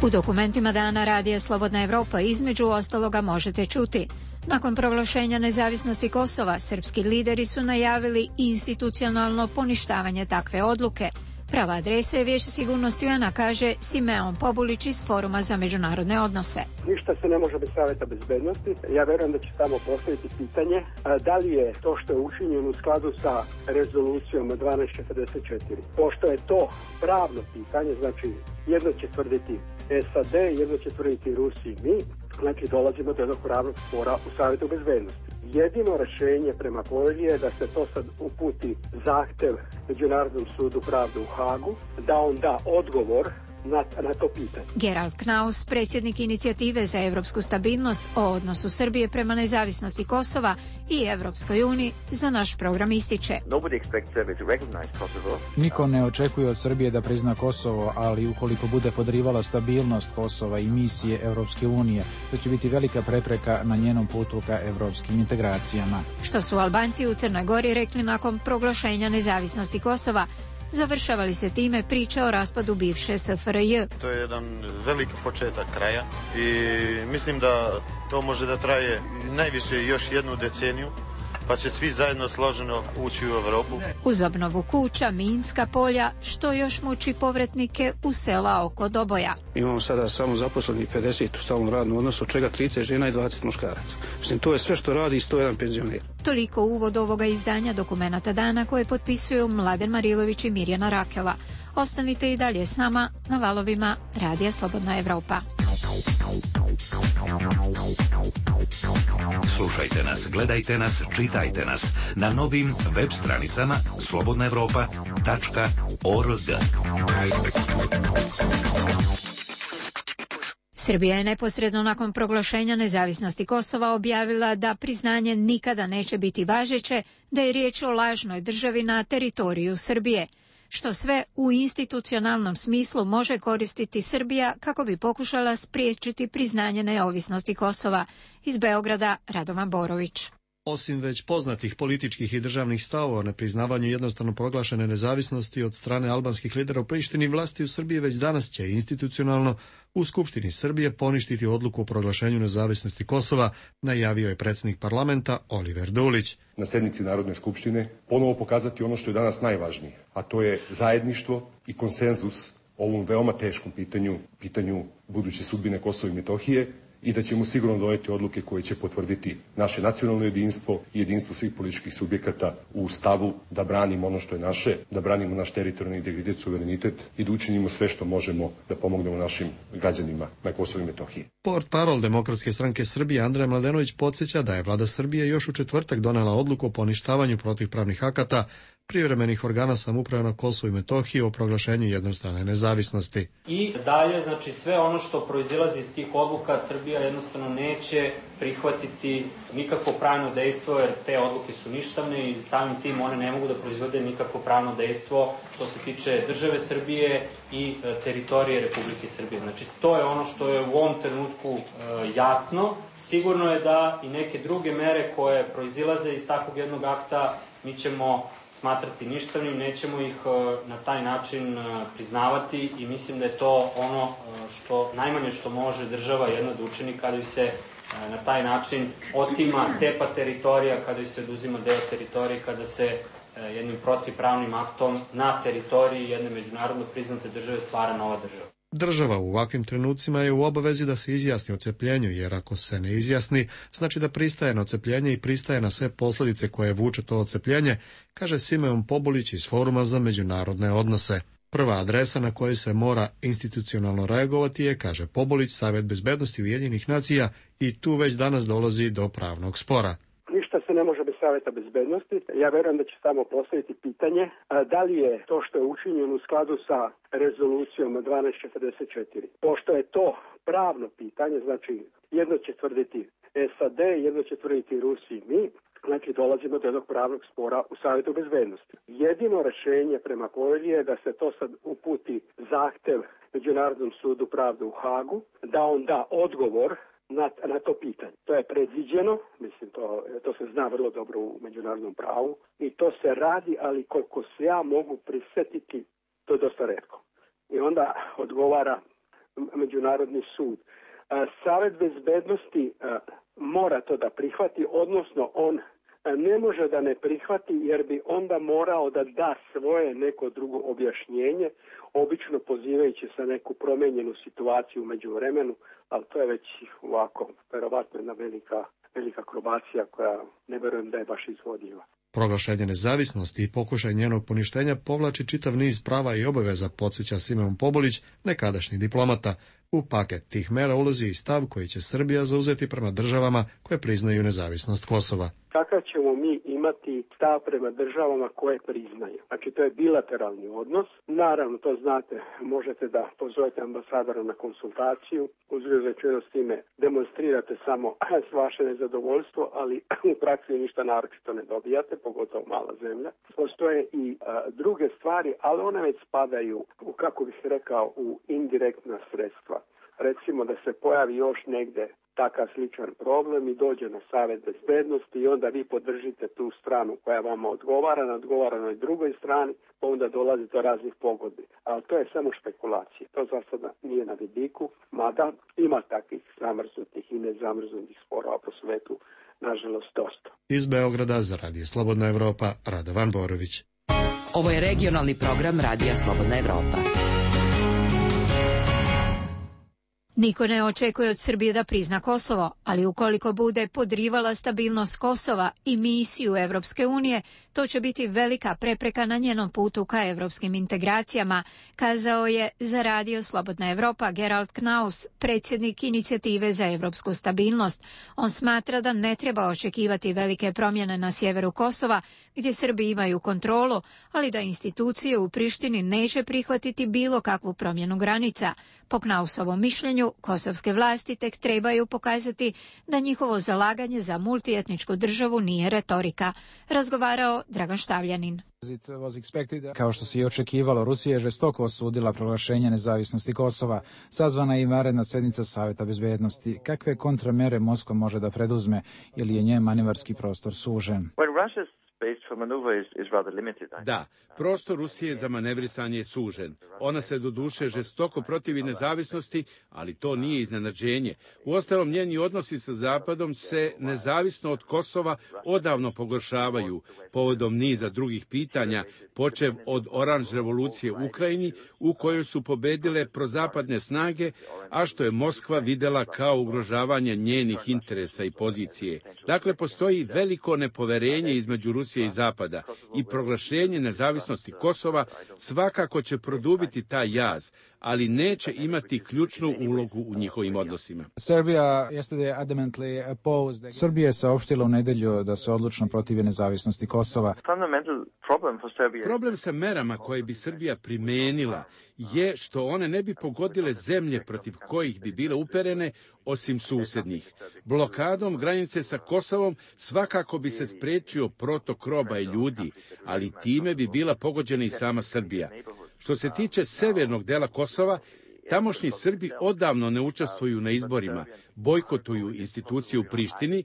Speaker 1: U dokumentima dana Radija Slobodna Evropa između ostaloga možete čuti: nakon proglašenja nezavisnosti Kosova, srpski lideri su najavili institucionalno poništavanje takve odluke. Prava adresa je Vijeće sigurnosti U N A, kaže Simeon Pobulić iz Foruma za međunarodne odnose.
Speaker 5: Ništa se ne može bez Saveta bezbednosti. Ja verujem da će tamo postaviti pitanje da li je to što je učinjeno u skladu sa rezolucijom dvanaest četrdeset četiri. Pošto je to pravno pitanje, znači jedno će tvrditi S A D, jedno će tvrditi Rusiji mi, znači dolazimo do jednog pravnog spora u Savetu bezbednosti. Jedino rešenje prema povelji je da se to sad uputi zahtev Međunarodnom sudu pravde u Hagu, da on da odgovor na, na to pitanje.
Speaker 1: Gerald Knaus, predsjednik inicijative za evropsku stabilnost o odnosu Srbije prema nezavisnosti Kosova i Evropskoj uniji, za naš program ističe:
Speaker 10: Niko ne očekuje od Srbije da prizna Kosovo, ali ukoliko bude podrivala stabilnost Kosova i misije Evropske unije, to će biti velika prepreka na njenom putu ka evropskim integracijama.
Speaker 1: Što su Albanci u Crnoj Gori rekli nakon proglašenja nezavisnosti Kosova? Završavali se time priče o raspadu bivše S F R J.
Speaker 11: To je jedan veliki početak kraja i mislim da to može da traje najviše još jednu deceniju, pa će svi zajedno složeno ući u Evropu.
Speaker 1: Uz obnovu kuća, minska polja, što još muči povratnike u sela oko Doboja.
Speaker 12: Imamo sada samo zaposlenih pedeset u stalnom radnom odnosu, od čega trideset žena i dvadeset muškaraca. Mislim, to je sve što radi sto jedan penzioner.
Speaker 1: Toliko uvod ovoga izdanja Dokumenata dana koje potpisuju Mladen Marilović i Mirjana Rakela. Ostanite i dalje s nama na valovima Radija Slobodna Evropa.
Speaker 8: Slušajte nas, gledajte nas, čitajte nas na novim web stranicama slobodna evropa tačka org.
Speaker 1: Srbija je neposredno nakon proglašenja nezavisnosti Kosova objavila da priznanje nikada neće biti važeće, da je riječ o lažnoj državi na teritoriju Srbije, što sve u institucionalnom smislu može koristiti Srbija kako bi pokušala spriječiti priznanje neovisnosti Kosova. Iz Beograda, Radovan Borović.
Speaker 13: Osim već poznatih političkih i državnih stavova na priznavanju jednostavno proglašene nezavisnosti od strane albanskih lidera u Prištini, vlasti u Srbiji već danas će institucionalno u Skupštini Srbije poništiti odluku o proglašenju nezavisnosti Kosova, najavio je predsjednik parlamenta Oliver Dulić.
Speaker 14: Na sednici Narodne skupštine ponovo pokazati ono što je danas najvažnije, a to je zajedništvo i konsenzus o ovom veoma teškom pitanju, pitanju buduće sudbine Kosova i Metohije, i da ćemo sigurno doneti odluke koje će potvrditi naše nacionalno jedinstvo i jedinstvo svih političkih subjekata u stavu da branimo ono što je naše, da branimo naš teritorijalni integritet, suverenitet i da učinimo sve što možemo da pomognemo našim građanima na Kosovu i Metohiji.
Speaker 13: Portparol Demokratske stranke Srbije Andrej Mladenović podsjeća da je vlada Srbije još u četvrtak donela odluku o poništavanju protivpravnih akata privremenih organa samouprave na Kosovu i Metohiji o proglašenju jednostrane nezavisnosti.
Speaker 27: I dalje, znači sve ono što proizilazi iz tih odluka, Srbija jednostavno neće prihvatiti nikakvo pravno dejstvo, jer te odluke su ništavne i samim tim one ne mogu da proizvode nikakvo pravno dejstvo što se tiče države Srbije i e, teritorije Republike Srbije. Znači to je ono što je u ovom trenutku e, jasno. Sigurno je da i neke druge mere koje proizilaze iz takvog jednog akta mi ćemo smatrati ništavnim, nećemo ih na taj način priznavati i mislim da je to ono što najmanje što može država jedna da učini kada ju se na taj način otima, cepa teritorija, kada ju se oduzima deo teritorije, kada se jednim protivpravnim aktom na teritoriji jedne međunarodno priznate države stvara nova država.
Speaker 13: Država u ovakvim trenucima je u obavezi da se izjasni o cepljenju, jer ako se ne izjasni, znači da pristaje na ocepljenje i pristaje na sve posljedice koje vuče to ocepljenje, kaže Simeon Pobulić iz Foruma za međunarodne odnose. Prva adresa na kojoj se mora institucionalno reagovati je, kaže Pobulić, Savet bezbednosti Ujedinjenih nacija i tu već danas dolazi do pravnog spora.
Speaker 5: Ništa se ne može bez Saveta bezbednosti. Ja verujem da će tamo postaviti pitanje da li je to što je učinjeno u skladu sa rezolucijom dvanaest četrdeset četiri. Pošto je to pravno pitanje, znači jedno će tvrditi S A D, jedno će tvrditi Rusiji mi, znači dolazimo do jednog pravnog spora u Savjetu bezbednosti. Jedino rešenje prema povelji je da se to sad uputi zahtev Međunarodnom sudu pravde u Hagu, da on da odgovor na, na to pitanje. To je predviđeno, mislim to, to se zna vrlo dobro u međunarodnom pravu i to se radi, ali koliko se ja mogu prisetiti, to je dosta retko. I onda odgovara Međunarodni sud. Savet bezbednosti mora to da prihvati, odnosno on ne može da ne prihvati jer bi onda morao da da svoje neko drugo objašnjenje, obično pozivajući se neku promenjenu situaciju među vremenu, ali to je već ovako, verovatno jedna velika, velika akrobacija koja ne verujem da je baš izvodiva.
Speaker 13: Proglašenje nezavisnosti i pokušaj njenog poništenja povlači čitav niz prava i obaveza, podsjeća Simeon Pobulić, nekadašnji diplomata. U paket tih mera ulazi i stav koji će Srbija zauzeti prema državama koje priznaju nezavisnost Kosova.
Speaker 5: Kakav ćemo mi imati stav prema državama koje priznaju? Znači, to je bilateralni odnos. Naravno, to znate, možete da pozovete ambasadora na konsultaciju, uzgled s time demonstrirate samo vaše nezadovoljstvo, ali u praksi ništa naročito ne dobijate, pogotovo mala zemlja. Postoje i a, druge stvari, ali one već spadaju u, kako bih rekao, u indirektna sredstva. Recimo da se pojavi još negde takav sličan problem i dođe na Savet bezbednosti i onda vi podržite tu stranu koja vama odgovara, na odgovaranoj drugoj strani, pa onda dolazi do raznih pogodbi. Ali to je samo špekulacije. To za sada nije na vidiku, mada ima takvih zamrznutih i nezamrznutih sporova po svetu, nažalost, dosta.
Speaker 13: Iz Beograda za Radio Slobodna Evropa, Radovan Borović.
Speaker 4: Ovo je regionalni program Radija Slobodna Evropa.
Speaker 1: Niko ne očekuje od Srbije da prizna Kosovo, ali ukoliko bude podrivala stabilnost Kosova i misiju Evropske unije, to će biti velika prepreka na njenom putu ka evropskim integracijama, kazao je za Radio Slobodna Evropa Gerald Knaus, predsjednik inicijative za evropsku stabilnost. On smatra da ne treba očekivati velike promjene na sjeveru Kosova, gdje Srbi imaju kontrolu, ali da institucije u Prištini neće prihvatiti bilo kakvu promjenu granica. Po Knausovom mišljenju, kosovske vlasti tek trebaju pokazati da njihovo zalaganje za multietničku državu nije retorika. Razgovarao Dragan Štavljanin.
Speaker 10: Kao što se i očekivalo, Rusija je žestoko osudila proglašenje nezavisnosti Kosova. Sazvana je i vanredna sjednica Savjeta bezbednosti. Kakve kontramere Moskva može da preduzme ili je njen manevarski prostor sužen?
Speaker 15: Da, prostor Rusije za manevrisanje je sužen. Ona se doduše žestoko protivi nezavisnosti, ali to nije iznenađenje. Uostalom, njeni odnosi sa Zapadom se, nezavisno od Kosova, odavno pogoršavaju povodom niza drugih pitanja, počev od oranž revolucije u Ukrajini, u kojoj su pobedile prozapadne snage, a što je Moskva videla kao ugrožavanje njenih interesa i pozicije. Dakle, postoji veliko nepoverenje između Rusije i Zapada i proglašenje nezavisnosti Kosova svakako će produbiti taj jaz, ali neće imati ključnu ulogu u njihovim odnosima.
Speaker 10: Srbija je saopštila u nedelju da se odlučno protivi nezavisnosti Kosova.
Speaker 15: Problem sa merama koje bi Srbija primenila je što one ne bi pogodile zemlje protiv kojih bi bile uperene, osim susednih. Blokadom granice sa Kosovom svakako bi se spriječio protok roba i ljudi, ali time bi bila pogođena i sama Srbija. Što se tiče severnog dela Kosova, tamošnji Srbi odavno ne učestvuju na izborima, bojkotuju institucije u Prištini,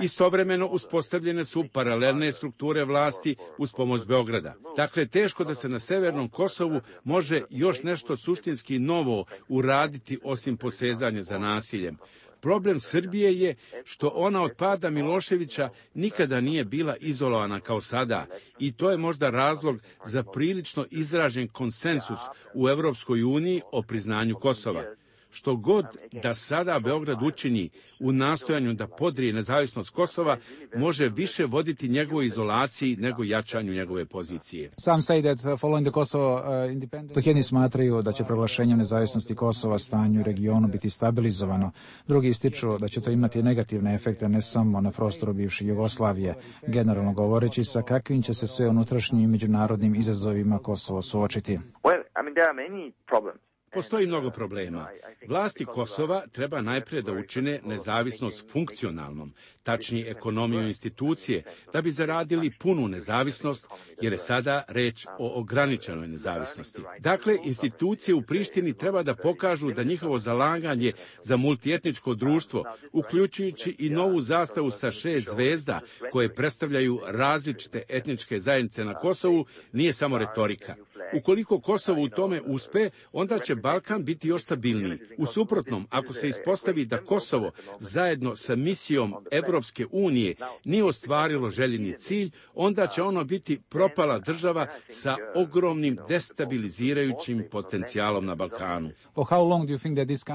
Speaker 15: istovremeno uspostavljene su paralelne strukture vlasti uz pomoć Beograda. Dakle, teško da se na severnom Kosovu može još nešto suštinski novo uraditi osim posezanja za nasiljem. Problem Srbije je što ona od pada Miloševića nikada nije bila izolovana kao sada i to je možda razlog za prilično izražen konsensus u Evropskoj uniji o priznanju Kosova. Što god da sada Beograd učini u nastojanju da podrije nezavisnost Kosova, može više voditi njegovoj izolaciji nego jačanju njegove pozicije.
Speaker 10: Sam say that following the Kosovo uh, independence, dok jedni smatraju da će proglašenjem nezavisnosti Kosova stanje u regionu biti stabilizovano, drugi ističu da će to imati negativne efekte ne samo na prostoru bivše Jugoslavije, generalno govoreći sa kakvim će se sve unutrašnjim i međunarodnim izazovima Kosovo suočiti.
Speaker 16: Well, I mean, there are many problems.
Speaker 15: Postoji mnogo problema. Vlasti Kosova treba najprije da učine nezavisnost funkcionalnom, tačnije ekonomiju institucije, da bi zaradili punu nezavisnost, jer je sada reč o ograničenoj nezavisnosti. Dakle, institucije u Prištini treba da pokažu da njihovo zalaganje za multietničko društvo, uključujući i novu zastavu sa šest zvezda koje predstavljaju različite etničke zajednice na Kosovu, nije samo retorika. Ukoliko Kosovo u tome uspe, onda će Balkan biti još stabilniji. U suprotnom, ako se ispostavi da Kosovo zajedno sa misijom Evropske unije nije ostvarilo željeni cilj, onda će ono biti propala država sa ogromnim destabilizirajućim potencijalom na Balkanu.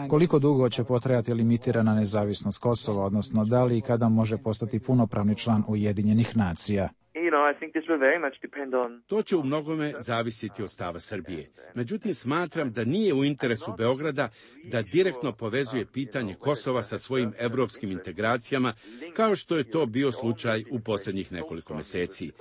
Speaker 10: Koliko dugo će potrajati limitirana nezavisnost Kosova, odnosno da li i kada može postati punopravni član Ujedinjenih nacija?
Speaker 15: To će u mnogome zavisiti od stava Srbije. Međutim, smatram da nije u interesu Beograda da direktno povezuje pitanje Kosova sa svojim evropskim integracijama, kao što je to bio slučaj u posljednjih nekoliko meseci.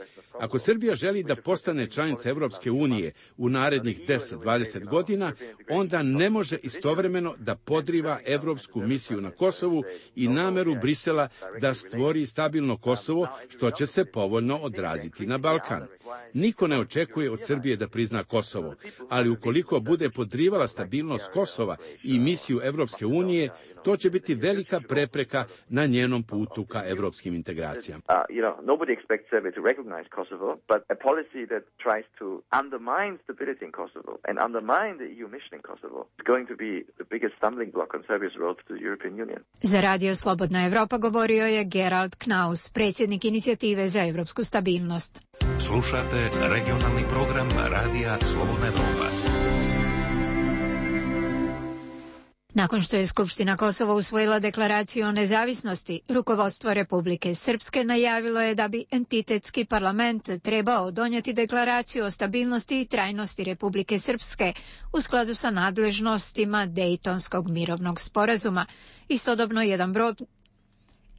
Speaker 15: Ako Srbija želi da postane članica Evropske unije u narednih deset do dvadeset godina, onda ne može istovremeno da podriva evropsku misiju na Kosovu i nameru Brisela da stvori stabilno Kosovo, što će se povoljno odraziti na Balkan. Niko ne očekuje od Srbije da prizna Kosovo, ali ukoliko bude podrivala stabilnost Kosova i misiju Evropske unije, to će biti velika prepreka na njenom putu ka evropskim integracijama.
Speaker 1: Za Radio Slobodna Evropa govorio je Gerald Knaus, predsjednik inicijative za evropsku stabilnost.
Speaker 8: Slušate regionalni program Radija Slobodna Evropa.
Speaker 1: Nakon što je Skupština Kosova usvojila deklaraciju o nezavisnosti, rukovodstvo Republike Srpske najavilo je da bi entitetski parlament trebao donijeti deklaraciju o stabilnosti i trajnosti Republike Srpske u skladu sa nadležnostima Dejtonskog mirovnog sporazuma. Istodobno jedan broj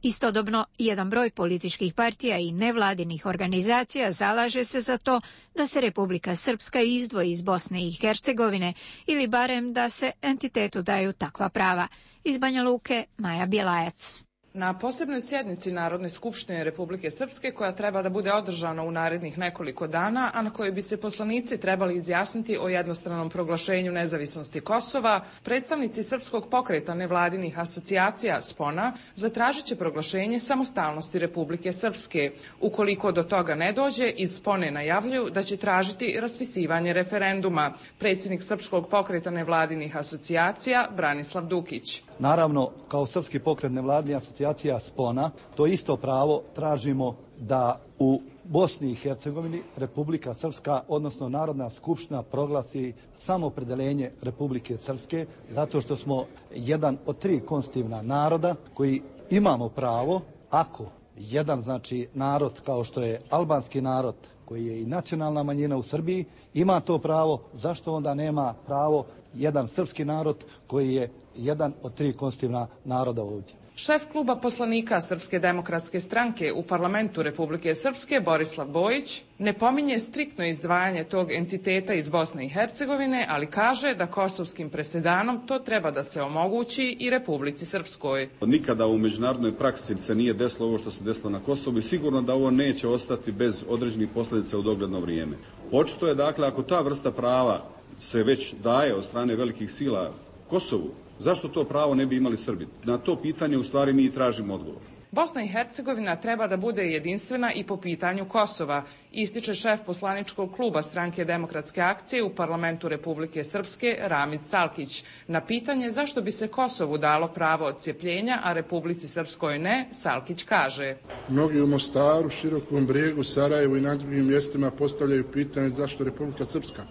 Speaker 1: Istodobno, jedan broj političkih partija i nevladinih organizacija zalaže se za to da se Republika Srpska izdvoji iz Bosne i Hercegovine ili barem da se entitetu daju takva prava. Iz Banja Luke, Maja Bjelajac.
Speaker 16: Na posebnoj sjednici Narodne skupštine Republike Srpske, koja treba da bude održana u narednih nekoliko dana, a na kojoj bi se poslanici trebali izjasniti o jednostranom proglašenju nezavisnosti Kosova, predstavnici Srpskog pokreta nevladinih asocijacija SPONA zatražit će proglašenje samostalnosti Republike Srpske. Ukoliko do toga ne dođe, iz SPONE najavljuju da će tražiti raspisivanje referenduma. Predsjednik Srpskog pokreta nevladinih asocijacija Branislav Dukić.
Speaker 17: Naravno, kao Srpski pokret nevladinih asocijacija SPONA, to isto pravo tražimo da u Bosni i Hercegovini Republika Srpska, odnosno Narodna skupština, proglasi samoopredeljenje Republike Srpske, zato što smo jedan od tri konstitutivna naroda koji imamo pravo, ako jedan znači narod kao što je albanski narod, koji je i nacionalna manjina u Srbiji, ima to pravo, zašto onda nema pravo jedan srpski narod koji je jedan od tri konstitutivna naroda ovdje.
Speaker 16: Šef kluba poslanika Srpske demokratske stranke u parlamentu Republike Srpske, Borislav Bojić, ne pominje striktno izdvajanje tog entiteta iz Bosne i Hercegovine, ali kaže da kosovskim presedanom to treba da se omogući i Republici Srpskoj.
Speaker 18: Nikada u međunarodnoj praksi se nije desilo ovo što se desilo na Kosovu i sigurno da ovo neće ostati bez određenih posljedica u dogledno vrijeme. Očito je, dakle, ako ta vrsta prava se već daje od strane velikih sila Kosovu, zašto to pravo ne bi imali Srbi? Na to pitanje u stvari mi i tražimo odgovor.
Speaker 16: Bosna i Hercegovina treba da bude jedinstvena i po pitanju Kosova, ističe šef poslaničkog kluba Stranke demokratske akcije u parlamentu Republike Srpske Ramiz Salkić. Na pitanje zašto bi se Kosovu dalo pravo odcijepljenja, a Republici Srpskoj ne, Salkić kaže:
Speaker 19: Mnogi u Mostaru, Širokom Brijegu, Sarajevu i na drugim mjestima postavljaju pitanje zašto Republika Srpska.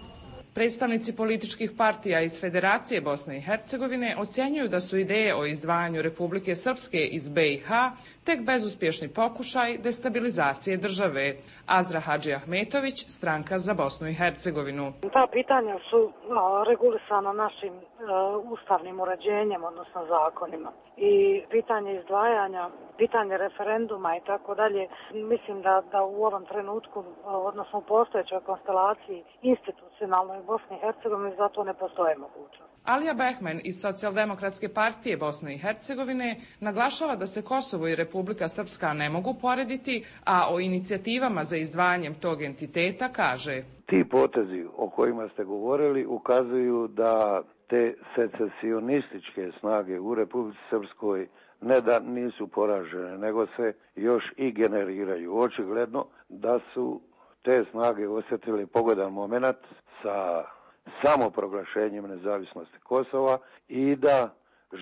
Speaker 16: Predstavnici političkih partija iz Federacije Bosne i Hercegovine ocjenjuju da su ideje o izdvajanju Republike Srpske iz B i H tek bezuspješni pokušaj destabilizacije države. Azra Hadži Ahmetović, Stranka za Bosnu i Hercegovinu.
Speaker 20: Ta pitanja su no, regulisana našim e, ustavnim uređenjem, odnosno zakonima. I pitanje izdvajanja, pitanje referenduma i tako dalje, mislim da, da u ovom trenutku, odnosno u postojećoj konstelaciji institucionalnoj u Bosni i Hercegovini, zato ne postoje mogućnost.
Speaker 16: Alija Behmen iz Socijaldemokratske partije Bosne i Hercegovine naglašava da se Kosovo i Republika Srpska ne mogu porediti, a o inicijativama za izdvajanjem tog entiteta kaže:
Speaker 6: Ti potezi o kojima ste govorili ukazuju da te secesionističke snage u Republici Srpskoj ne da nisu poražene, nego se još i generiraju. Očigledno da su te snage osjetili pogodan moment sa samoproglašenjem nezavisnosti Kosova i da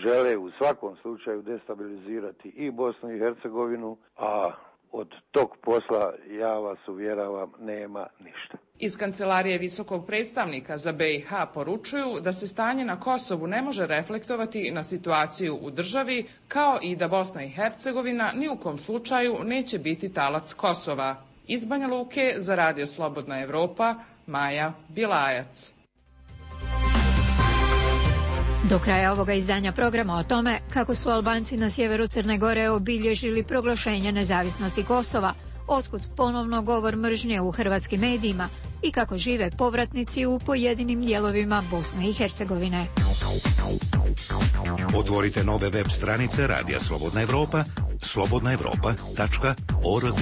Speaker 6: žele u svakom slučaju destabilizirati i Bosnu i Hercegovinu, a od tog posla, ja vas uvjeravam, nema ništa.
Speaker 16: Iz Kancelarije visokog predstavnika za B i H poručuju da se stanje na Kosovu ne može reflektovati na situaciju u državi, kao i da Bosna i Hercegovina ni u kom slučaju neće biti talac Kosova. Iz Banja Luke za Radio Slobodna Evropa, Maja Bilajac.
Speaker 1: Do kraja ovoga izdanja programa o tome kako su Albanci na sjeveru Crne Gore obilježili proglašenje nezavisnosti Kosova, otkud ponovno govor mržnje u hrvatskim medijima i kako žive povratnici u pojedinim dijelovima Bosne i Hercegovine.
Speaker 8: Otvorite nove web stranice Radija Slobodna Evropa, slobodna evropa tačka org.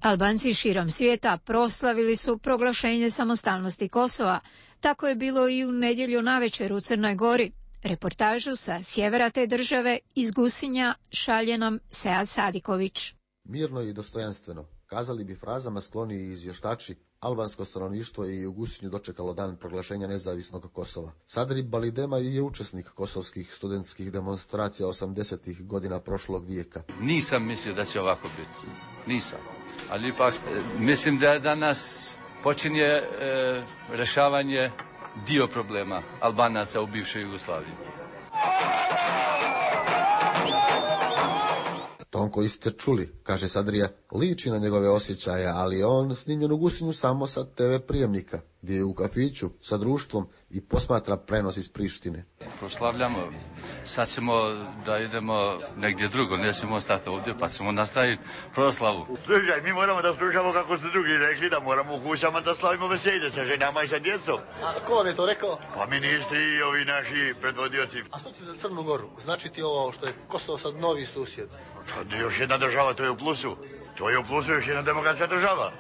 Speaker 1: Albanci širom svijeta proslavili su proglašenje samostalnosti Kosova. Tako je bilo i u nedjelju navečer u Crnoj Gori. Reportažu sa sjevera te države iz Gusinja šalje nam Sead Sadiković.
Speaker 7: Mirno i dostojanstveno, kazali bi frazama skloniji izvještači, albansko stanovništvo je i u Gusinju dočekalo dan proglašenja nezavisnog Kosova. Sadrib Balidema je učesnik kosovskih studentskih demonstracija osamdesetih godina prošlog vijeka.
Speaker 21: Nisam mislio da će ovako biti. Nisam. Ali ipak mislim da danas počinje e, rešavanje dio problema Albanaca u bivšoj Jugoslaviji.
Speaker 7: Ton koji ste čuli, kaže Sadrija, liči na njegove osjećaje, ali on snimljen u Gusinju samo sa te ve prijemnika, gdje je u kafiću sa društvom i posmatra prenos iz Prištine.
Speaker 21: Proslavljamo, sad ćemo da idemo negdje drugo, nećemo ostati ovdje, pa ćemo nastaviti proslavu.
Speaker 22: Slušaj, mi moramo da slušamo kako su drugi rekli, da moramo u kućama da slavimo veselje sa ženama i sa djecom.
Speaker 7: A ko vam je to rekao?
Speaker 22: Pa ministri i ovi naši predvodioci.
Speaker 7: A što će za Crnu Goru? Znači ti ovo što je Kosovo sad novi susjed?
Speaker 22: To je još jedna država, to je u plusu. To je u plusu još jedna demokratska država.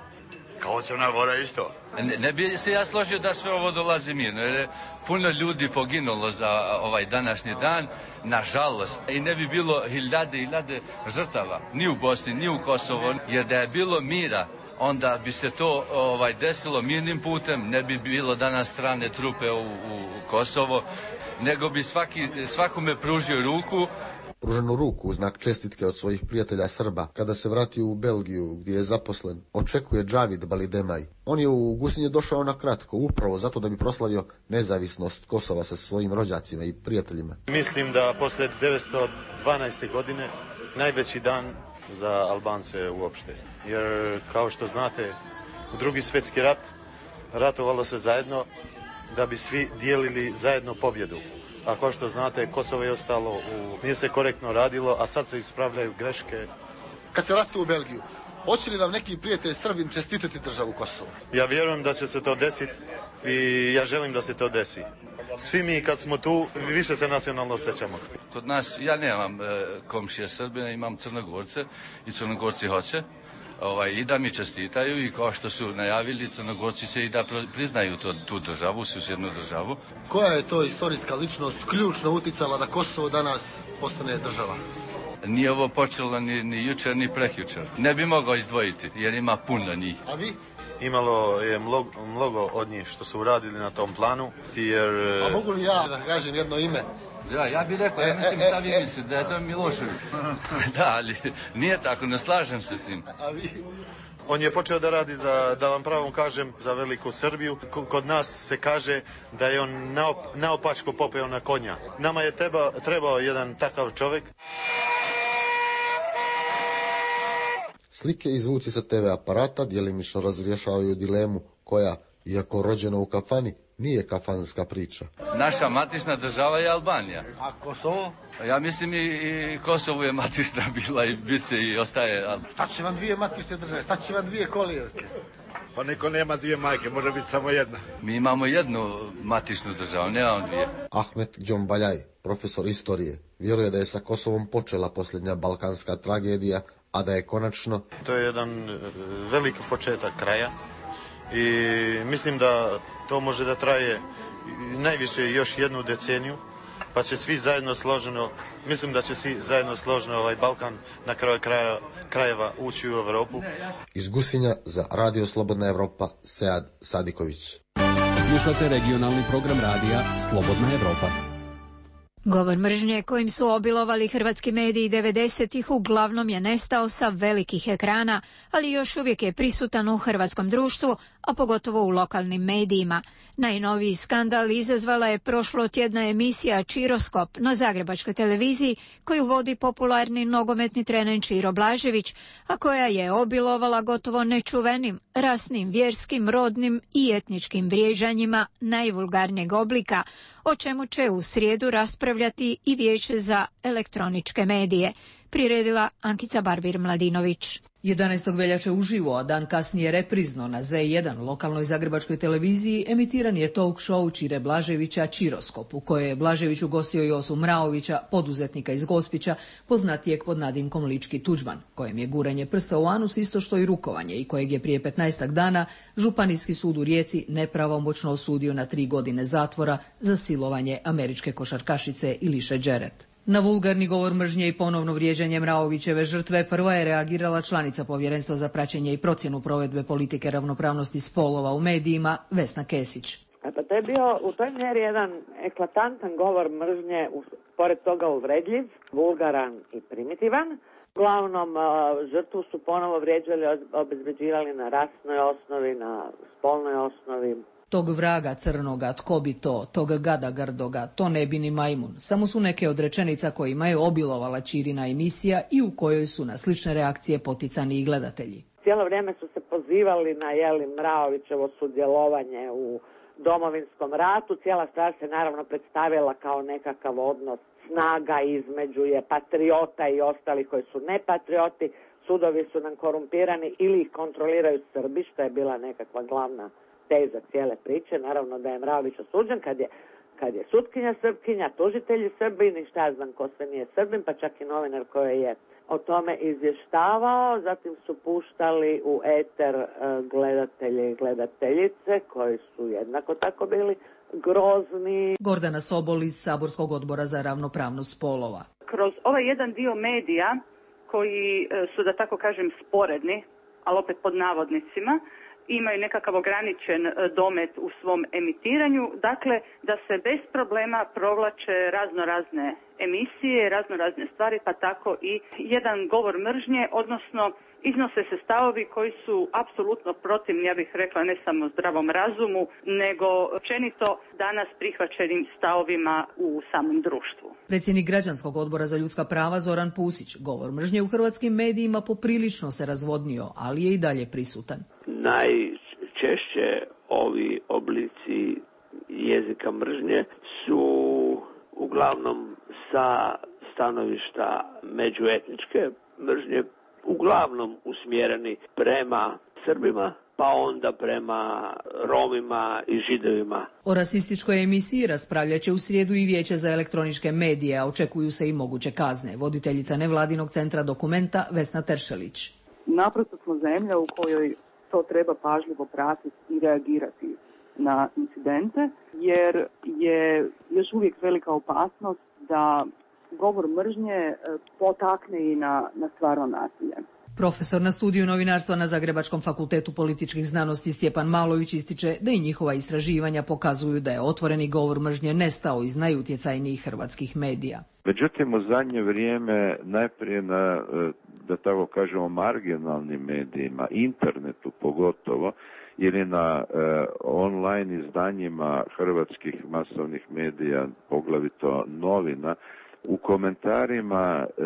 Speaker 22: Kao Crna Gora isto.
Speaker 21: Ne, ne bi se ja složio da sve ovo dolazi mirno, jer je puno ljudi poginulo za ovaj današnji dan, nažalost. I ne bi bilo hiljade i hiljade žrtava, ni u Bosni, ni u Kosovo, jer da je bilo mira, onda bi se to ovaj desilo mirnim putem, ne bi bilo danas strane trupe u, u Kosovo, nego bi svaki, svakome pružio ruku.
Speaker 7: Pruženu ruku u znak čestitke od svojih prijatelja Srba kada se vratio u Belgiju gdje je zaposlen, očekuje Džavid Balidemaj. On je u Gusinje došao na kratko, upravo zato da bi proslavio nezavisnost Kosova sa svojim rođacima i prijateljima.
Speaker 11: Mislim da posle devetsto dvanaeste. godine najveći dan za Albance uopšte. Jer kao što znate, u Drugi svjetski rat ratovalo se zajedno da bi svi dijelili zajedno pobjedu. A kao što znate, Kosovo je ostalo, u... nije se korektno radilo, a sad se ispravljaju greške.
Speaker 7: Kad se vratite u Belgiju, hoće li vam neki prijatelj Srbin čestitati državu Kosovo?
Speaker 11: Ja vjerujem da će se to desiti i ja želim da se to desi. Svi mi kad smo tu, više se nacionalno osjećamo.
Speaker 21: Kod nas, ja nemam e, komšije Srbina, imam Crnogorce i Crnogorci hoće. Ovaj, i da mi čestitaju i kao što su najavili, Crnogorci se i da priznaju to, tu državu, susjednu državu.
Speaker 7: Koja je to istorijska ličnost ključno uticala da Kosovo danas postane država?
Speaker 21: Nije ovo počelo ni, ni jučer, ni prekjučer. Ne bi mogao izdvojiti, jer ima puno njih.
Speaker 7: A vi?
Speaker 11: Imalo je mnogo, mnogo od njih što su uradili na tom planu, jer...
Speaker 7: A mogu li ja da kažem jedno ime?
Speaker 21: Ja, ja bih rekao, ja mislim šta vi mislite, da je to Milošević. Da, ali nije tako, ne slažem se s tim.
Speaker 7: A vi?
Speaker 11: On je počeo da radi, za, da vam pravom kažem, za veliku Srbiju. Kod nas se kaže da je on naop, naopačko popeo na konja. Nama je treba, trebao jedan takav čovjek.
Speaker 7: Slike i zvuci sa te ve aparata djelimično razrješavaju dilemu koja, iako rođena u kafani, nije kafanska priča.
Speaker 21: Naša matična država je Albanija.
Speaker 7: A Kosovo?
Speaker 21: Ja mislim i, i Kosovo je matična bila i bi se i ostaje.
Speaker 7: Šta će vam dvije matične države? Šta će vam dvije kolijevke?
Speaker 2: Pa niko nema dvije majke, može biti samo jedna.
Speaker 21: Mi imamo jednu matičnu državu, nemamo dvije.
Speaker 7: Ahmet Džombaljaj, profesor istorije, vjeruje da je sa Kosovom počela posljednja balkanska tragedija, a da je konačno...
Speaker 11: To je jedan veliki početak kraja i mislim da to može da traje najviše još jednu deceniju, pa će svi zajedno složeno, mislim da će svi zajedno složeno ovaj Balkan na kraju kraja, krajeva ući u Evropu.
Speaker 7: Iz Gusinja za Radio Slobodna Evropa, Sead Sadiković.
Speaker 3: Slušate regionalni program radija Slobodna Evropa.
Speaker 1: Govor mržnje kojim su obilovali hrvatski mediji devedesetih uglavnom je nestao sa velikih ekrana, ali još uvijek je prisutan u hrvatskom društvu, a pogotovo u lokalnim medijima. Najnoviji skandal izazvala je prošlotjedna emisija Čiroskop na zagrebačkoj televiziji koju vodi popularni nogometni trener Čiro Blažević, a koja je obilovala gotovo nečuvenim, rasnim, vjerskim, rodnim i etničkim vrijeđanjima najvulgarnijeg oblika, o čemu će u srijedu raspravljati i Vijeće za elektroničke medije, priredila Ankica Barbir-Mladinović.
Speaker 9: jedanaestog veljače uživo, a dan kasnije reprizno na Z jedan, lokalnoj zagrebačkoj televiziji, emitiran je talk show Čire Blaževića Čiroskop, u kojoj je Blažević ugostio Josu Mraovića, poduzetnika iz Gospića, poznatijeg pod nadimkom Lički Tuđman, kojem je guranje prsta u anus isto što i rukovanje i kojeg je prije petnaestak dana Županijski sud u Rijeci nepravomoćno osudio na tri godine zatvora za silovanje američke košarkašice Iliše Đeret. Na vulgarni govor mržnje i ponovno vrijeđanje Mraovićeve žrtve prva je reagirala članica Povjerenstva za praćenje i procjenu provedbe politike ravnopravnosti spolova u medijima, Vesna Kesić.
Speaker 23: Pa to je bio u toj mjeri jedan eklatantan govor mržnje, pored toga uvredljiv, vulgaran i primitivan. Uglavnom, žrtvu su ponovo vrijeđali, obezbeđivali na rasnoj osnovi, na spolnoj osnovi.
Speaker 9: Tog vraga crnoga, tko bi to, tog gada grdoga, to ne bi ni majmun. Samo su neke od rečenica kojima je obilovala Čirina emisija i u kojoj su na slične reakcije poticani i gledatelji.
Speaker 23: Cijelo vrijeme su se pozivali na jeli Mraovićevo sudjelovanje u Domovinskom ratu. Cijela stvar se naravno predstavila kao nekakav odnos snaga između je patriota i ostalih koji su nepatrioti. Sudovi su nam korumpirani ili ih kontroliraju Srbi, što je bila nekakva glavna teza cijele priče. Naravno da je Mraović osuđen kad je, kad je sutkinja Srpkinja, tužitelji Srbini, šta ja znam ko sve nije Srbin, pa čak i novinar koji je o tome izvještavao. Zatim su puštali u eter gledatelje i gledateljice koji su jednako tako bili grozni.
Speaker 9: Gordana Sobol iz Saborskog odbora za ravnopravnost spolova.
Speaker 24: Kroz ovaj jedan dio medija koji su, da tako kažem, sporedni, ali opet pod navodnicima, imaju nekakav ograničen domet u svom emitiranju, dakle da se bez problema provlače razno razne emisije, razno razne stvari, pa tako i jedan govor mržnje, odnosno iznose se stavovi koji su apsolutno protivni, ja bih rekla, ne samo zdravom razumu, nego općenito danas prihvaćenim stavovima u samom društvu.
Speaker 9: Predsjednik Građanskog odbora za ljudska prava Zoran Pusić, govor mržnje u hrvatskim medijima poprilično se razvodnio, ali je i dalje prisutan.
Speaker 25: Najčešće ovi oblici jezika mržnje su uglavnom sa stanovišta međuetničke mržnje, uglavnom usmjereni prema Srbima, pa onda prema Romima i Židovima.
Speaker 9: O rasističkoj emisiji raspravljat će u srijedu i Vijeće za elektroničke medije, a očekuju se i moguće kazne. Voditeljica nevladinog centra Dokumenta Vesna Teršelić.
Speaker 26: Naprosto smo zemlja u kojoj to treba pažljivo pratiti i reagirati na incidente, jer je još uvijek velika opasnost da govor mržnje potakne i na, na stvarno nasilje.
Speaker 9: Profesor na studiju novinarstva na Zagrebačkom fakultetu političkih znanosti Stjepan Malović ističe da i njihova istraživanja pokazuju da je otvoreni govor mržnje nestao iz najutjecajnijih hrvatskih medija.
Speaker 28: Međutim, u zadnje vrijeme najprije na, da tako kažemo, marginalnim medijima, internetu pogotovo, ili na e, online izdanjima hrvatskih masovnih medija, poglavito novina, u komentarima e,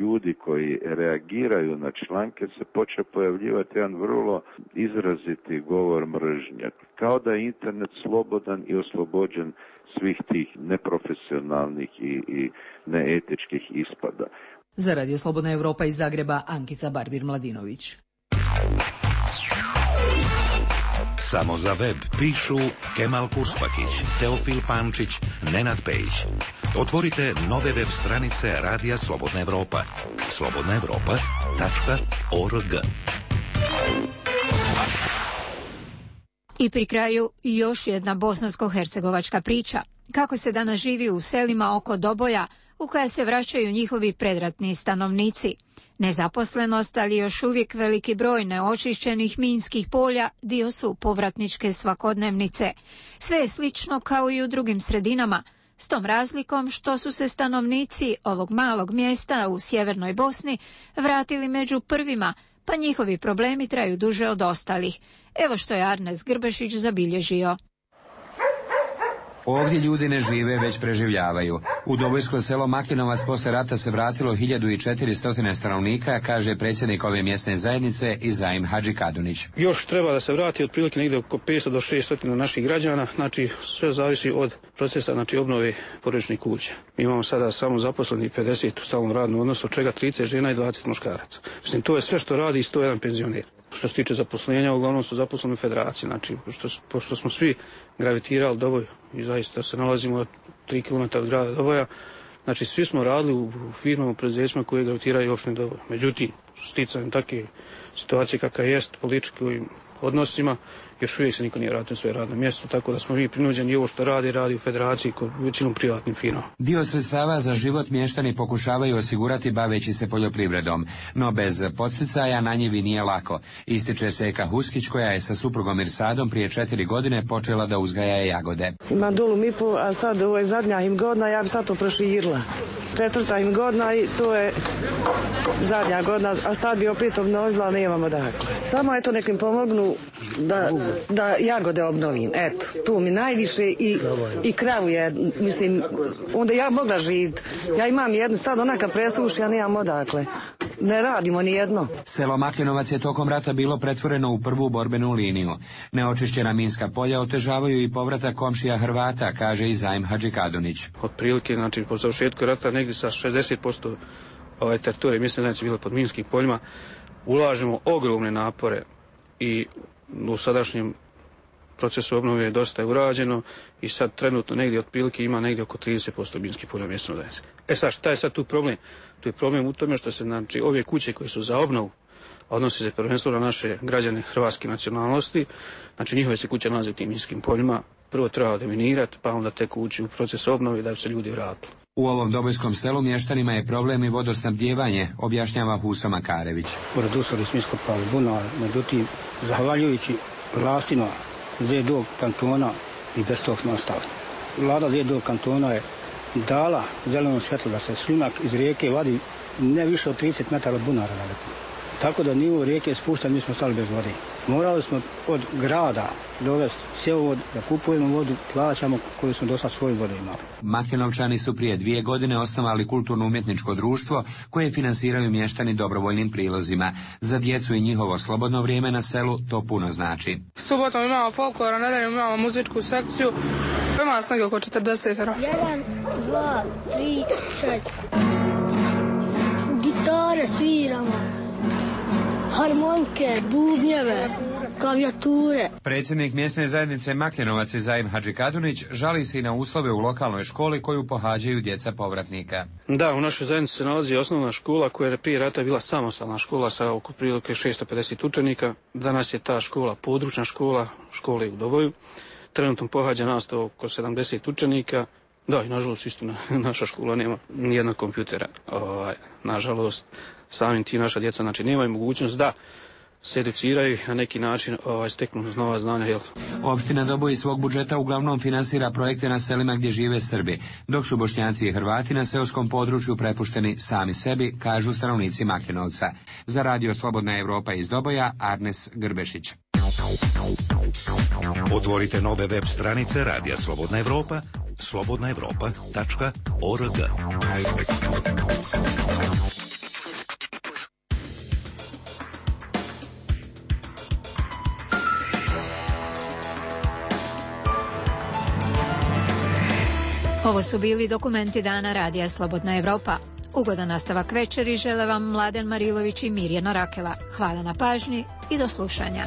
Speaker 28: ljudi koji reagiraju na članke se počeo pojavljivati jedan vrlo izraziti govor mržnje. Kao da je internet slobodan i oslobođen svih tih neprofesionalnih i, i neetičkih ispada.
Speaker 9: Za Radio Slobodna Evropa iz Zagreba, Ankica Barbir-Mladinović.
Speaker 8: Samo za web pišu Kemal Kurspakić, Teofil Pančić, Nenad Pejić. Otvorite nove web stranice Radija Slobodna Evropa. slobodna evropa tačka org.
Speaker 1: I pri kraju još jedna bosansko-hercegovačka priča. Kako se danas živi u selima oko Doboja, u koja se vraćaju njihovi predratni stanovnici. Nezaposlenost, ali još uvijek veliki broj neočišćenih minskih polja dio su povratničke svakodnevnice. Sve je slično kao i u drugim sredinama, s tom razlikom što su se stanovnici ovog malog mjesta u sjevernoj Bosni vratili među prvima, pa njihovi problemi traju duže od ostalih. Evo što je Arnes Grbešić zabilježio.
Speaker 4: Ovdje ljudi ne žive, već preživljavaju. U Dobojsko selo Makinovac posle rata se vratilo hiljadu četiristo stanovnika, kaže predsjednik ove mjesne zajednice Izaim Hadžikadunić.
Speaker 5: Još treba da se vrati otprilike negdje oko petsto do šesto naših građana, znači sve zavisi od procesa, znači obnove porodičnih kuća. Mi imamo sada samo zaposleni pedeset u stalnom radnom odnosu, od čega trideset žena i dvadeset muškaraca. Mislim, to je sve što radi sto jedan penzioner. Što se tiče zaposlenja, uglavnom su zaposleni u federaciji, znači, pošto, pošto smo svi gravitirali Doboj i zaista se nalazimo tri kilometra od grada Doboja, znači svi smo radili u, u firmama, u preduzećima koje gravitiraju opštine Doboj. Međutim, sticanjem takve situacije kakva jest, političkim odnosima, još uvijek se niko nije vratio na svoje radno mjesto, tako da smo mi prinuđeni i ovo što radi, radi u federaciji kod većinom privatnim firmama.
Speaker 4: Dio sredstava za život mještani pokušavaju osigurati baveći se poljoprivredom, no bez podsticaja na njivi nije lako. Ističe Seka Huskić, koja je sa suprugom Irsadom prije četiri godine počela da uzgaja jagode.
Speaker 10: Imam dolu mipu, a sad ovo je zadnja im godina, ja bi sad to proširila. Četvrta im godina i to je zadnja godina, a sad bi opet obnovila, nemamo dakle. Samo eto nek mi pomognu da, da jagode obnovim, eto, tu mi najviše i, i kravu je, mislim, onda ja mogla živjeti. Ja imam jednu, sad onaka presuši, ja nemam odakle. Ne radimo ni jedno.
Speaker 4: Selo Makinovac je tokom rata bilo pretvoreno u prvu borbenu liniju. Neočišćena minska polja otežavaju i povratak komšija Hrvata, kaže Izaim Hadžikadunić.
Speaker 5: Otprilike, znači, po završetku rata negdje sa šezdeset posto ove teritorije, mislim da je bilo pod minskim poljima, ulažemo ogromne napore i u sadašnjem procesu obnove je dosta urađeno i sad trenutno negdje otprilike ima negdje oko trideset posto minskih polja mjesno zajednice. E sad, šta je sad tu problem? Tu je problem u tome što se, znači, ove kuće koje su za obnovu, odnosi se prvenstveno na naše građane hrvatske nacionalnosti, znači njihove se kuće nalaze u tim minskim poljima, prvo treba deminirati, pa onda tek ući u proces obnove da bi se ljudi vratili.
Speaker 4: U ovom dobojskom selu mještanima je problem i vodosnabdijevanje, objašnjava Huso Makarević.
Speaker 12: Pored smo iskopali bunar, međutim, zahvaljujući vlastima Zedog kantona i bez tog smo ostali. Vlada Zedog kantona je dala zeleno svjetlo da se šljunak iz rijeke vadi ne više od trideset metara od bunara. Tako da nivo rijeke spušta, mi smo stali bez vode. Morali smo od grada dovesti cjevovod, da kupujemo vodu, plaćamo koju smo dosta svoju vodu imali.
Speaker 4: Makinovčani su prije dvije godine osnovali kulturno-umjetničko društvo koje finansiraju mještani dobrovoljnim prilozima. Za djecu i njihovo slobodno vrijeme na selu to puno znači.
Speaker 13: Subotom imamo folklor, a nedeljom imamo muzičku sekciju. Ima nas negdje oko četrdeset.
Speaker 14: Jedan, dva, tri, četiri. Gitare sviramo. Harmonike, bubnjeve, klavijature.
Speaker 4: Predsjednik mjesne zajednice Makinovac Izaim Hadžikadunić žali se i na uslove u lokalnoj školi koju pohađaju djeca povratnika.
Speaker 5: Da, u našoj zajednici se nalazi osnovna škola koja je prije rata bila samostalna škola sa oko prilike šesto pedeset učenika. Danas je ta škola područna škola, škole u Doboju. Trenutno pohađa nastavu oko sedamdeset učenika. Da, i nažalost istina, naša škola nema nijednog kompjutera. Ovaj, nažalost, samim tim naša djeca, znači, nemaju mogućnost da se educiraju na neki način, ovaj, steknu nova znanja. Jel?
Speaker 4: Opština Doboj iz svog budžeta uglavnom finansira projekte na selima gdje žive Srbi, dok su Bošnjaci i Hrvati na seoskom području prepušteni sami sebi, kažu stanovnici Makinovca. Za Radio Slobodna Evropa iz Doboja, Arnes Grbešić.
Speaker 8: Otvorite nove web stranice Radija Slobodna Evropa, slobodna evropa tačka org.
Speaker 1: Ovo su bili dokumenti dana Radija Slobodna Evropa. Ugodan nastavak večeri žele vam Mladen Marilović i Mirjana Rakela. Hvala na pažnji i do slušanja.